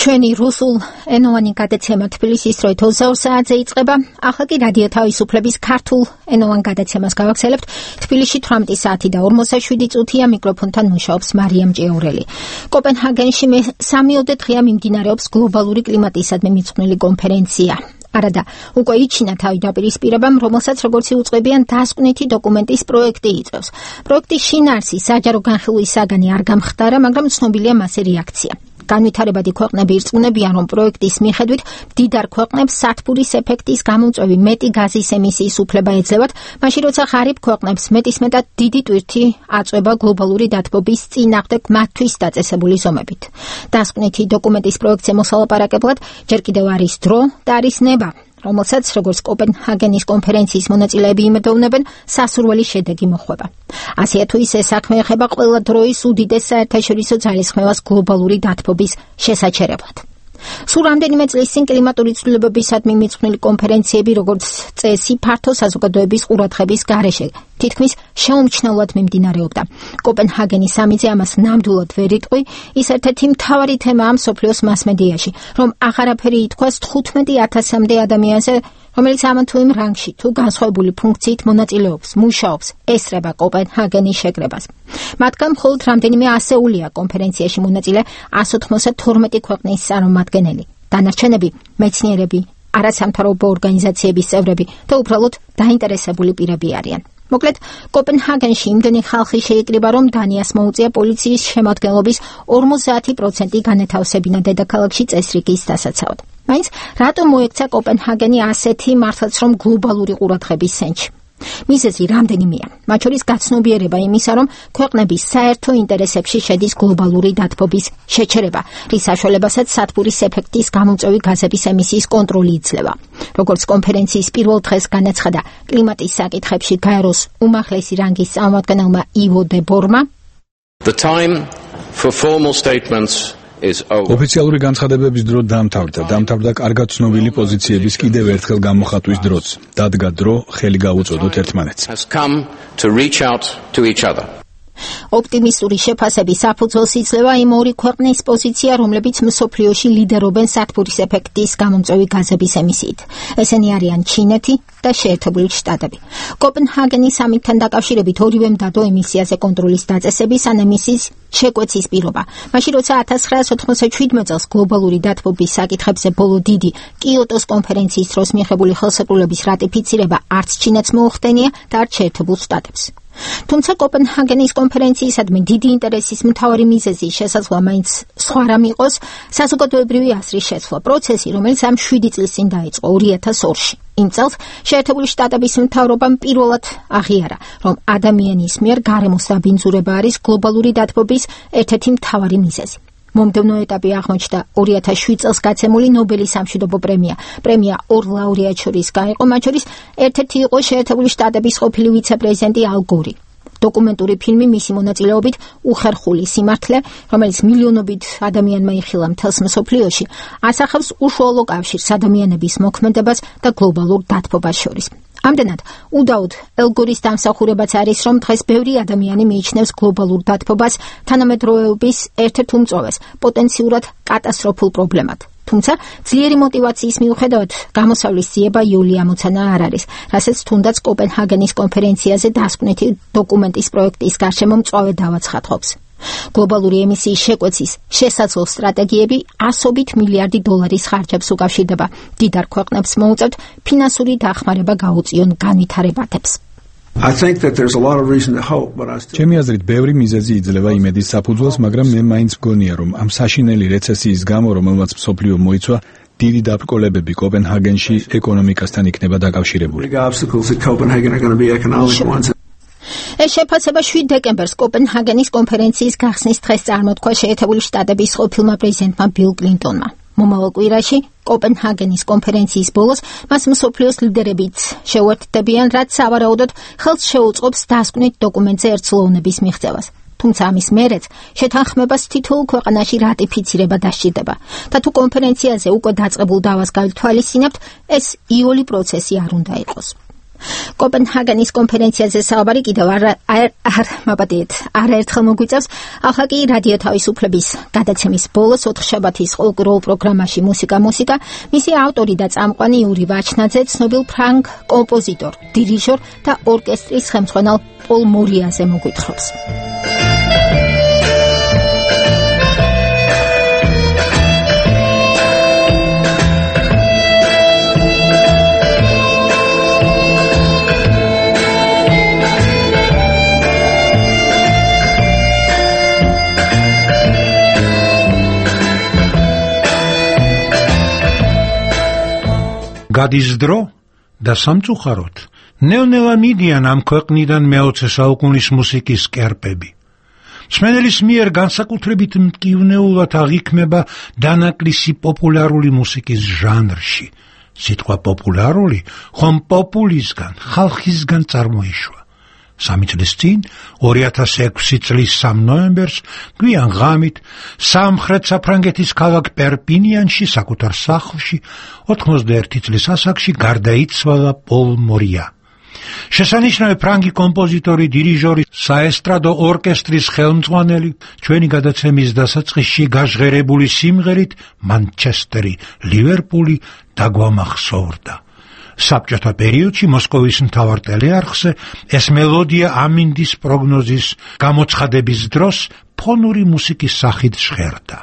Speaker 1: ჩვენი რუსულ ენოვანი გადაცემა თბილისის დროით ოცდაორ საათზე იწყება. ახლა კი რადიო თავისუფლების ქართულ ენოვან გადაცემას გავაგრძელებთ. თბილისში თვრამეტი საათი და ორმოცდაშვიდი წუთია, მიკროფონთან მუშაობს მარიამ ჭიაურელი. კოპენჰაგენში სამიოდე დღეა მიმდინარეობს გლობალური კლიმატისადმი მიძღვნილი კონფერენცია. არადა უკვე იჩინა თავი დაპირისპირებამ, რომელსაც როგორც იუწყებიან დასკვნითი დოკუმენტის პროექტი იწევს. პროექტის შინაარსი საჯარო განხილვის საგანი არ გამხდარა, მაგრამ ცნობილია მასზე რეაქცია. განვითარებადი ქვეყნები ირწმუნებიან, რომ პროექტის მიხედვით მდიდარ ქვეყნებს სათბურის ეფექტის გამომწვევი მეტი გაზის ემისიის უფლება ეძლევათ, მაშინ როცა ღარიბ ქვეყნებს მეტისმეტად დიდი ტვირთი აწვება გლობალური დათბობის წინააღმდეგ მათთვის დაწესებული ზომებით. დასკვნითი დოკუმენტის პროექტზე მოსალაპარაკებლად ჯერ კიდევ არის დრო და არის ნება. რომელსაც როგორც კოპენჰაგენის კონფერენციის მონაწილეები იმედოვნებენ, სასურველი შედეგი მოხვება. ასეა თუ ისე საქმე ეხება ყველა დროის უდიდეს საერთაშორისო ძალისხმევას გლობალური დათბობის შესაჩერებლად. სულ რამდენიმე წლის წინ კლიმატური ცვლილებებისადმი მიძღვნილი კონფერენციები, როგორც წესი, ფართო საზოგადოების ყურადღების გარეშე თითქმის შეუმჩნევლად მიმდინარეობდა. კოპენჰაგენის სამიტზე ამას ნამდვილად ვერ იტყვი, ის ერთ-ერთი მთავარი თემაა მსოფლიოს მასმედიაში, რომ აღარაფერი ითქვას თხუთმეტი ათასამდე ადამიანზე, რომელიც ამ თუ იმ რანგში თუ განსხვავებული ფუნქციით მონაწილეობს, მუშაობს, ესწრება კოპენჰაგენის შეკრებას. მათგან მხოლოდ რამდენიმე ასეულია კონფერენციაში მონაწილე εκατს ოცდათორმეტი ქვეყნის წარმომადგენელი. დანარჩენები მეცნიერები, არასამთავრობო ორგანიზაციების წევრები და უბრალოდ დაინტერესებული პირები არიან. მოკლედ, კოპენჰაგენში იმდენი ხალხი შეიკრიბა, რომ დანიას მოუწია პოლიციის შემადგენლობის ორმოცდაათი პროცენტი განეთავსებინა დედაქალაქში წესრიგის დასაცავად. მაინც რატომ მოექცა კოპენჰაგენი ასეთი მართლაც რომ გლობალური ყურადღების ცენტრში? მიზეზი რამდენიმეა, მათ შორის გაცნობიერება იმისა, რომ ქვეყნების საერთო ინტერესებში შედის გლობალური დათბობის შეჩერება, რის საშუალებასაც სათბურის ეფექტის გამომწვევი გაზების ემისიის კონტროლი იძლევა. როგორც კონფერენციის პირველ დღეს განაცხადა კლიმატის საკითხებში გაეროს უმაღლესი რანგის წარმომადგენელმა ივო დე ბორმა,
Speaker 11: The time for formal statements
Speaker 8: ოფიციალური განცხადებების დრო დამთავრდა, დამთავრდა კარგად ცნობილი პოზიციების კიდევ ერთხელ გამოხატვის დროც. დადგა დრო ხელი გავუწოდოთ ერთმანეთს.
Speaker 1: ოპტიმისტური შეფასების საფუძველს იძლევა იმ ორი ქვეყნის პოზიცია, რომლებიც მსოფლიოში ლიდერობენ სათბურის ეფექტის გამომწვევი გაზების ემისიით. ესენი არიან ჩინეთი და შეერთებული შტატები. კოპენჰაგენის სამიტთან დაკავშირებით ორივემ დადო ემისიაზე კონტროლის დაწესების ან ემისიის შეკვეცის პირობა. მაშინ როცა ათას ცხრაასი ოცდაშვიდმეტ წელს გლობალური დათბობის საკითხებზე ბოლო დიდი კიოტოს კონფერენციის დროს მიღებული ხელშეკრულების რატიფიცირება არც ჩინეთს მოუხდენია და არც შეერთებულ შტატებს. თუმცა კოპენჰაგენის კონფერენციისადმი დიდი ინტერესის მთავარი მიზეზი შესაძლოა მაინც სხვა რამ იყოს საზოგადოებრივი აზრის შეცვლა, პროცესი, რომელიც ამ შვიდი წლის წინ დაიწყო ორი ათას ორში. იმ წელს შეერთებული შტატების მთავრობამ პირველად აღიარა, რომ ადამიანის მიერ გარემოს დაბინძურება არის გლობალური დათბობის ერთ-ერთი მთავარი მიზეზი. მომდევნო ეტაპი აღმოჩნდა ორი ათას შვიდ წელს გაცემული ნობელის სამშვიდობო პრემია. პრემია ორ ლაურეატს შორის გაიყო, მათ შორის ერთ-ერთი იყო შეერთებული შტატების ყოფილი ვიცე-პრეზიდენტი ალ გორი. დოკუმენტური ფილმი მისი მონაწილეობით უხერხული სიმართლე, რომელიც მილიონობით ადამიანმა იხილა მთელს მსოფლიოში, ასახავს უშუალო კავშირს ადამიანების მოქმედებას და გლობალურ დათბობას შორის. ამდენად, უდაოდ ალ გორის დამსახურებაც არის, რომ დღეს ბევრი ადამიანი მიიჩნევს გლობალურ დათბობას თანამედროვეობის ერთ-ერთ უმწვავეს, პოტენციურად კატასტროფულ პრობლემად. თუმცა, ძლიერი მოტივაციის მიუხედავად, გამოსავლის ძიება იოლი ამოცანა არ არის, რასაც თუნდაც კოპენჰაგენის კონფერენციაზე დასკვნითი დოკუმენტის პროექტის გარშემო მწვავე დავაცხადყოფს. გლობალური ემისიის შეკვეცის შესაძლო სტრატეგიები ასობით მილიარდი დოლარის ხარჯებს უკავშირდება. დიდარ ქვეყნებს მოუწევთ ფინანსური დახმარება გაუწიონ განვითარებათებს.
Speaker 8: ჩემი აზრით, ბევრი მიზეზი იძლევა იმედის საფუძველს, მაგრამ მე მაინც მგონია, რომ ამ საშინელი რეცესიის გამო, რომელმაც მსოფლიო მოიცვა, დიდი დაბრკოლებები კოპენჰაგენში ეკონომიკასთან იქნება დაკავშირებული.
Speaker 1: ეს შეფასება შვიდ დეკემბერს კოპენჰაგენის კონფერენციის გახსნის დღეს წარმოთქვა შეერთებული შტატების ყოფილმა პრეზიდენტმა ბილ კლინტონმა. მომავალ კვირაში კოპენჰაგენის კონფერენციის ბოლოს მას მსოფლიოს ლიდერებიც შეუერთდებიან, რაც სავარაუდოდ ხელს შეუწყობს დასკვნით დოკუმენტზე ერთსულოვნების მიღწევას. თუმცა ამის მერეც შეთანხმებას თითოეულ ქვეყანაში რატიფიცირება დასჭირდება. და თუ კონფერენციაზე უკვე დაწყებულ დავას გავითვალისწინებთ, ეს იოლი პროცესი არ უნდა იყოს. კოპენჰაგენის კონფერენციაზე საუბარი კიდევ არ არ მაპატიეთ არაერთხელ მოგვიწევს. ახლა კი რადიო თავისუფლების გადაცემის ბოლოს ოთხშაბათის ყოველდღიურ პროგრამაში მუსიკა მუსიკა მისი ავტორი და წამყვანი იური ვაჩნაძე ცნობილ ფრანგ კომპოზიტორ, დირიჟორ და ორკესტრის ხელმძღვანელ პოლ მორიაზე მოგვითხრობს.
Speaker 14: გადის დრო და სამწუხაროდ ნელ-ნელა მიდიან ამ ქვეყნიდან მეოცე საუკუნის მუსიკის კერპები. მსმენელის მიერ განსაკუთრებით მტკივნეულად აღიქმება დანაკლისი პოპულარული მუსიკის ჟანრში, სიტყვა პოპულარული ხომ პოპულისგან, ხალხისგან წარმოიშვა. სამი წლის წინ, ორი ათას ექვსი წლის სამი ნოემბერს, გვიან ღამით, სამხრეთ საფრანგეთის ქალაქ პერპინიანში, საკუთარ სახლში, ოთხმოცდაერთი წლის ასაკში გარდაიცვალა პოლ მორია. შესანიშნავი ფრანგი კომპოზიტორი, დირიჟორი, საესტრადო ორკესტრის ხელმძღვანელი, ჩვენი გადაცემის დასაწყისში გაჟღერებული სიმღერით „მანჩესტერი, ლივერპული“ დაგვამახსოვრდა. საბჭოთა პერიოდში მოსკოვის მთავარ ტელეარხზე ეს მელოდია ამინდის პროგნოზის გამოცხადების დროს ფონური მუსიკის სახით ჟღერდა.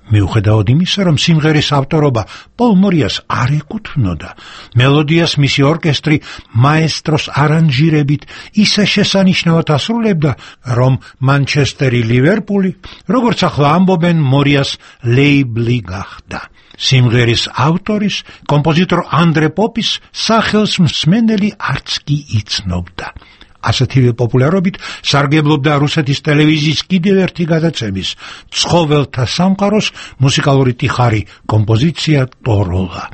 Speaker 14: მიუხედავად იმისა, რომ სიმღერის ავტორობა პოლ მორიას არ ეკუთვნოდა, მელოდიას მისი ორკესტრი მაესტროს არანჟირებით ისე შესანიშნავად ასრულებდა, რომ „მანჩესტერი, ლივერპული“, როგორც ახლა ამბობენ, მორიას ლეიბლი გახდა. სიმღერის ავტორის, კომპოზიტორ ანდრე პოპის სახელს მსმენელი არც კი იცნობდა. ასეთივე პოპულარობით სარგებლობდა რუსეთის ტელევიზიის კიდევ ერთი გადაცემის, „ცხოველთა სამყაროს“ მუსიკალური ტიხარი, კომპოზიცია „ტოროლა“.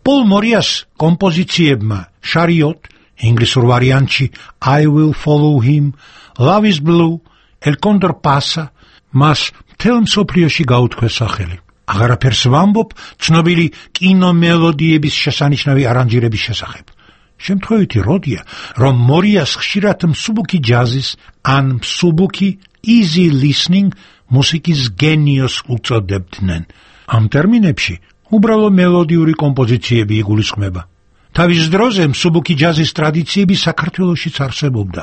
Speaker 14: პოლ მორიას კომპოზიციებმა „შარიოტ“, ინგლისურ ვარიანტში „I will follow him“, „Love is blue“, „El condor pasa“ მას მთელ მსოფლიოში გაუთქვეს სახელი. აღარაფერს ვამბობ ცნობილი კინომელოდიების შესანიშნავი არანჟირების შესახებ. შემთხვევითი როდია, რომ მორიას ხშირად მსუბუქი ჯაზის ან მსუბუქი easy listening მუსიკის გენიოს უწოდებდნენ. ამ ტერმინებში უბრალო მელოდიური კომპოზიციები იგულისხმება. თავის დროზე მსუბუქი ჯაზის ტრადიციები საქართველოშიც არსებობდა.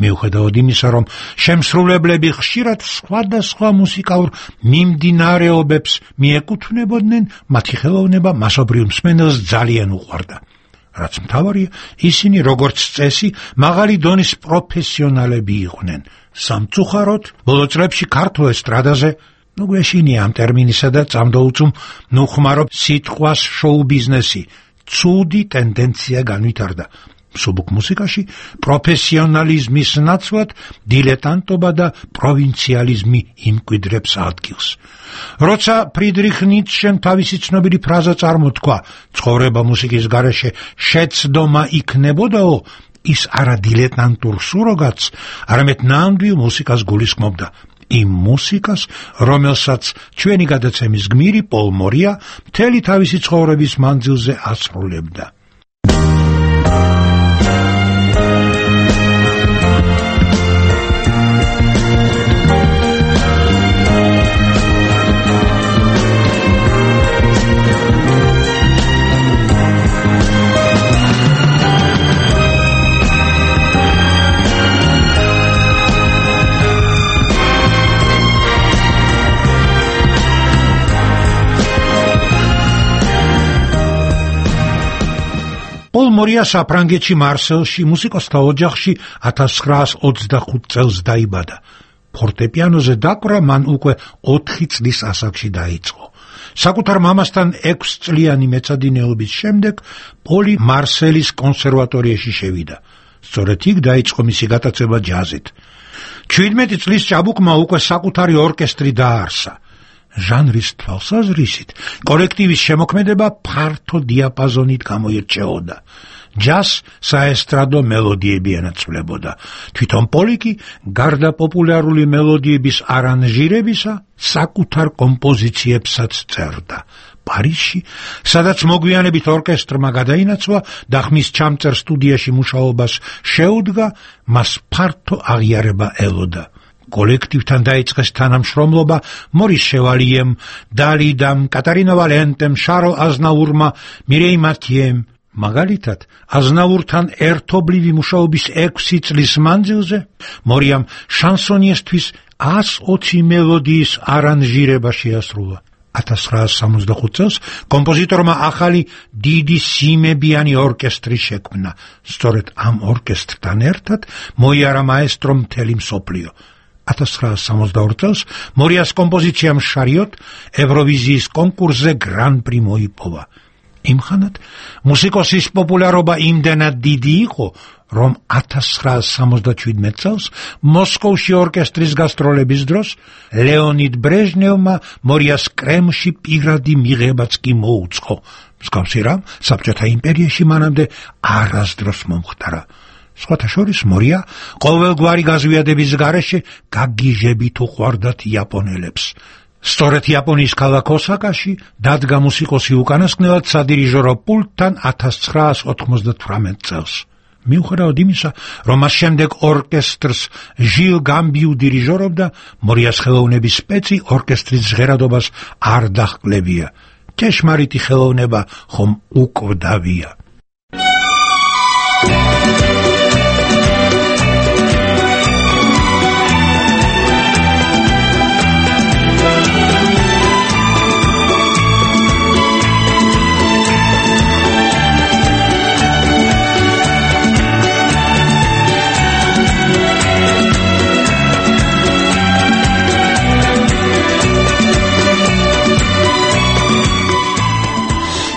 Speaker 14: მიუხედავად იმისა, რომ შემსრულებლები ხშირად სხვადასხვა მუსიკალურ მიმდინარეობებს მიეკუთვნებოდნენ, მათი ხელოვნება მასობრივ მსმენელს ძალიან უყვარდა. რაც მთავარია, ისინი როგორც წესი მაღალი დონის პროფესიონალები იყვნენ. სამწუხაროდ, ბოლო წლებში ქართულ ესტრადაზე ნუ გვეშინია ამ ტერმინისა და წამდოუწუმ ნუ ხმარობ სიტყვას შოუ ბიზნესი, ცუდი ტენდენცია განვითარდა. მსუბუქ მუსიკაში პროფესიონალიზმის ნაცვლად დილეტანტობა და პროვინციალიზმი იმკვიდრებს ადგილს. როცა ფრიდრიხ ницშემ თავისი ცნობილი ფრაზა წარმოთქვა, ცხოვრება მუსიკის გარეშე შეცდომა იქნებოდაო, ის არა დილეტანტურ სუროგატს, არამედ ნამდვილ მუსიკას გულისხმობდა. იმ მუსიკას, რომელსაც ჩვენი გადაცემის გმირი პოლ მორია მთელი თავისი ცხოვრების მანძილზე ასრულებდა. პოლ მორია საფრანგეთში მარსელში მუსიკოსთა ოჯახში ათას ცხრაას ოცდახუთ წელს დაიბადა. ფორტეპიანოზე დაკვრა მან უკვე ოთხი წლის ასაკში დაიწყო. საკუთარ მამასთან ექვსწლიანი მეცადინეობის შემდეგ პოლი მარსელის კონსერვატორიაში შევიდა. სწორედ იქ დაიწყო მისი გატაცება ჯაზით. ჩვიდმეტი წლის ჭაბუკმა უკვე საკუთარი ორკესტრი დააარსა. ჟანრის თვალსაზრისით კოლექტივის შემოქმედება ფართო დიაპაზონით გამოირჩეოდა. ჯაზ საესტრადო მელოდიები ენაცვლებოდა. თვითონ პოლი კი გარდა პოპულარული მელოდიების არანჟირებისა საკუთარ კომპოზიციებსაც წერდა. პარიზში, სადაც მოგვიანებით ორკესტრმა გადაინაცვლა და ხმის ჩამწერ სტუდიაში მუშაობას შეუდგა, მას ფართო აღიარება ელოდა. კოლექტივთან დაიწყეს თანამშრომლობა მორის შევალიემ, დალიდამ, კატარინა ვალენტემ, შარლ აზნაურმა, მირეი მათიემ. მაგალითად, აზნაურთან ერთობლივი მუშაობის ექვსი წლის მანძილზე მორიამ შანსონიესთვის ას ოცი მელოდიის არანჟირება შეასრულა. ათას ცხრაასი სამოცდახუთ წელს კომპოზიტორმა ახალი დიდი სიმებიანი ორკესტრი შექმნა. სწორედ ამ ორკესტრთან ერთად მოიარა მაესტრო მთელი მსოფლიო. ათას ცხრაასი სამოცდაორ წელს მორიას კომპოზიციამ შარიოთ ევროვიზიის კონკურსზე გრან-პრი მოიპოვა. იმხანად მუსიკოსის პოპულარობა იმდენად დიდი იყო, რომ ათას ცხრაასი სამოცდაშვიდმეტ წელს მოსკოვში ორკესტრის გასტროლების დროს ლეონიდ ბრეჟნევმა მორიას კრემლში პირადი მიღებაც კი მოუწყო. მსგავსი რამ საბჭოთა იმპერიაში მანამდე არასდროს მომხდარა. სხვათა შორის მორია ყოველგვარი გაზვიადების გარეშე გაგიჟებით უყვარდათ იაპონელებს. სწორედ იაპონიის ქალაქ ოსაკაში დადგა მუსიკოსი უკანასკნელად სადირიჟორო პულტთან ათას ცხრაასი ოთხმოცდათვრამეტ წელს. მიუხედავად იმისა, რომ მას შემდეგ ორკესტრს ჟილ გამბიუ დირიჟორობდა, მორიას ხელოვნების სპეცი ორკესტრის ჟღერადობას არ დაჰკლებია. ჭეშმარიტი ხელოვნება ხომ უკვდავია.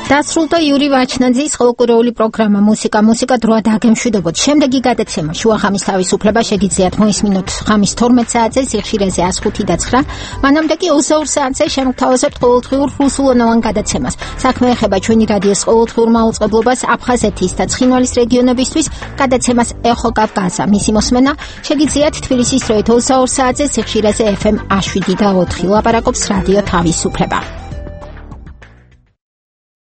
Speaker 1: დასრულდა იური ვაჩნაძის ხალხური პროგრამა მუსიკა მუსიკა დროა დაგემშვიდობოთ. შემდეგი გადაცემა შუახამის თავისუფლება შეგიძლიათ მოისმინოთ ხამის თორმეტ საათზე სიხშირეზე ას ხუთი და ცხრა. მანამდე კი ოცდაორ საათზე შემოგთავაზებთ ყოველდღიურ რუსულენოვან გადაცემას. საქმე ეხება ჩვენი რადიოს ყოველდღიურ მაუწყებლობას აფხაზეთის და ცხინვალის რეგიონებისთვის. გადაცემას ეხო კავკასია. მისი მოსმენა შეგიძლიათ თბილისის დროით ოცდაორ საათზე სიხშირეზე ეფ ემ ას შვიდი და ოთხი. ლაპარაკობს რადიო თავისუფლება.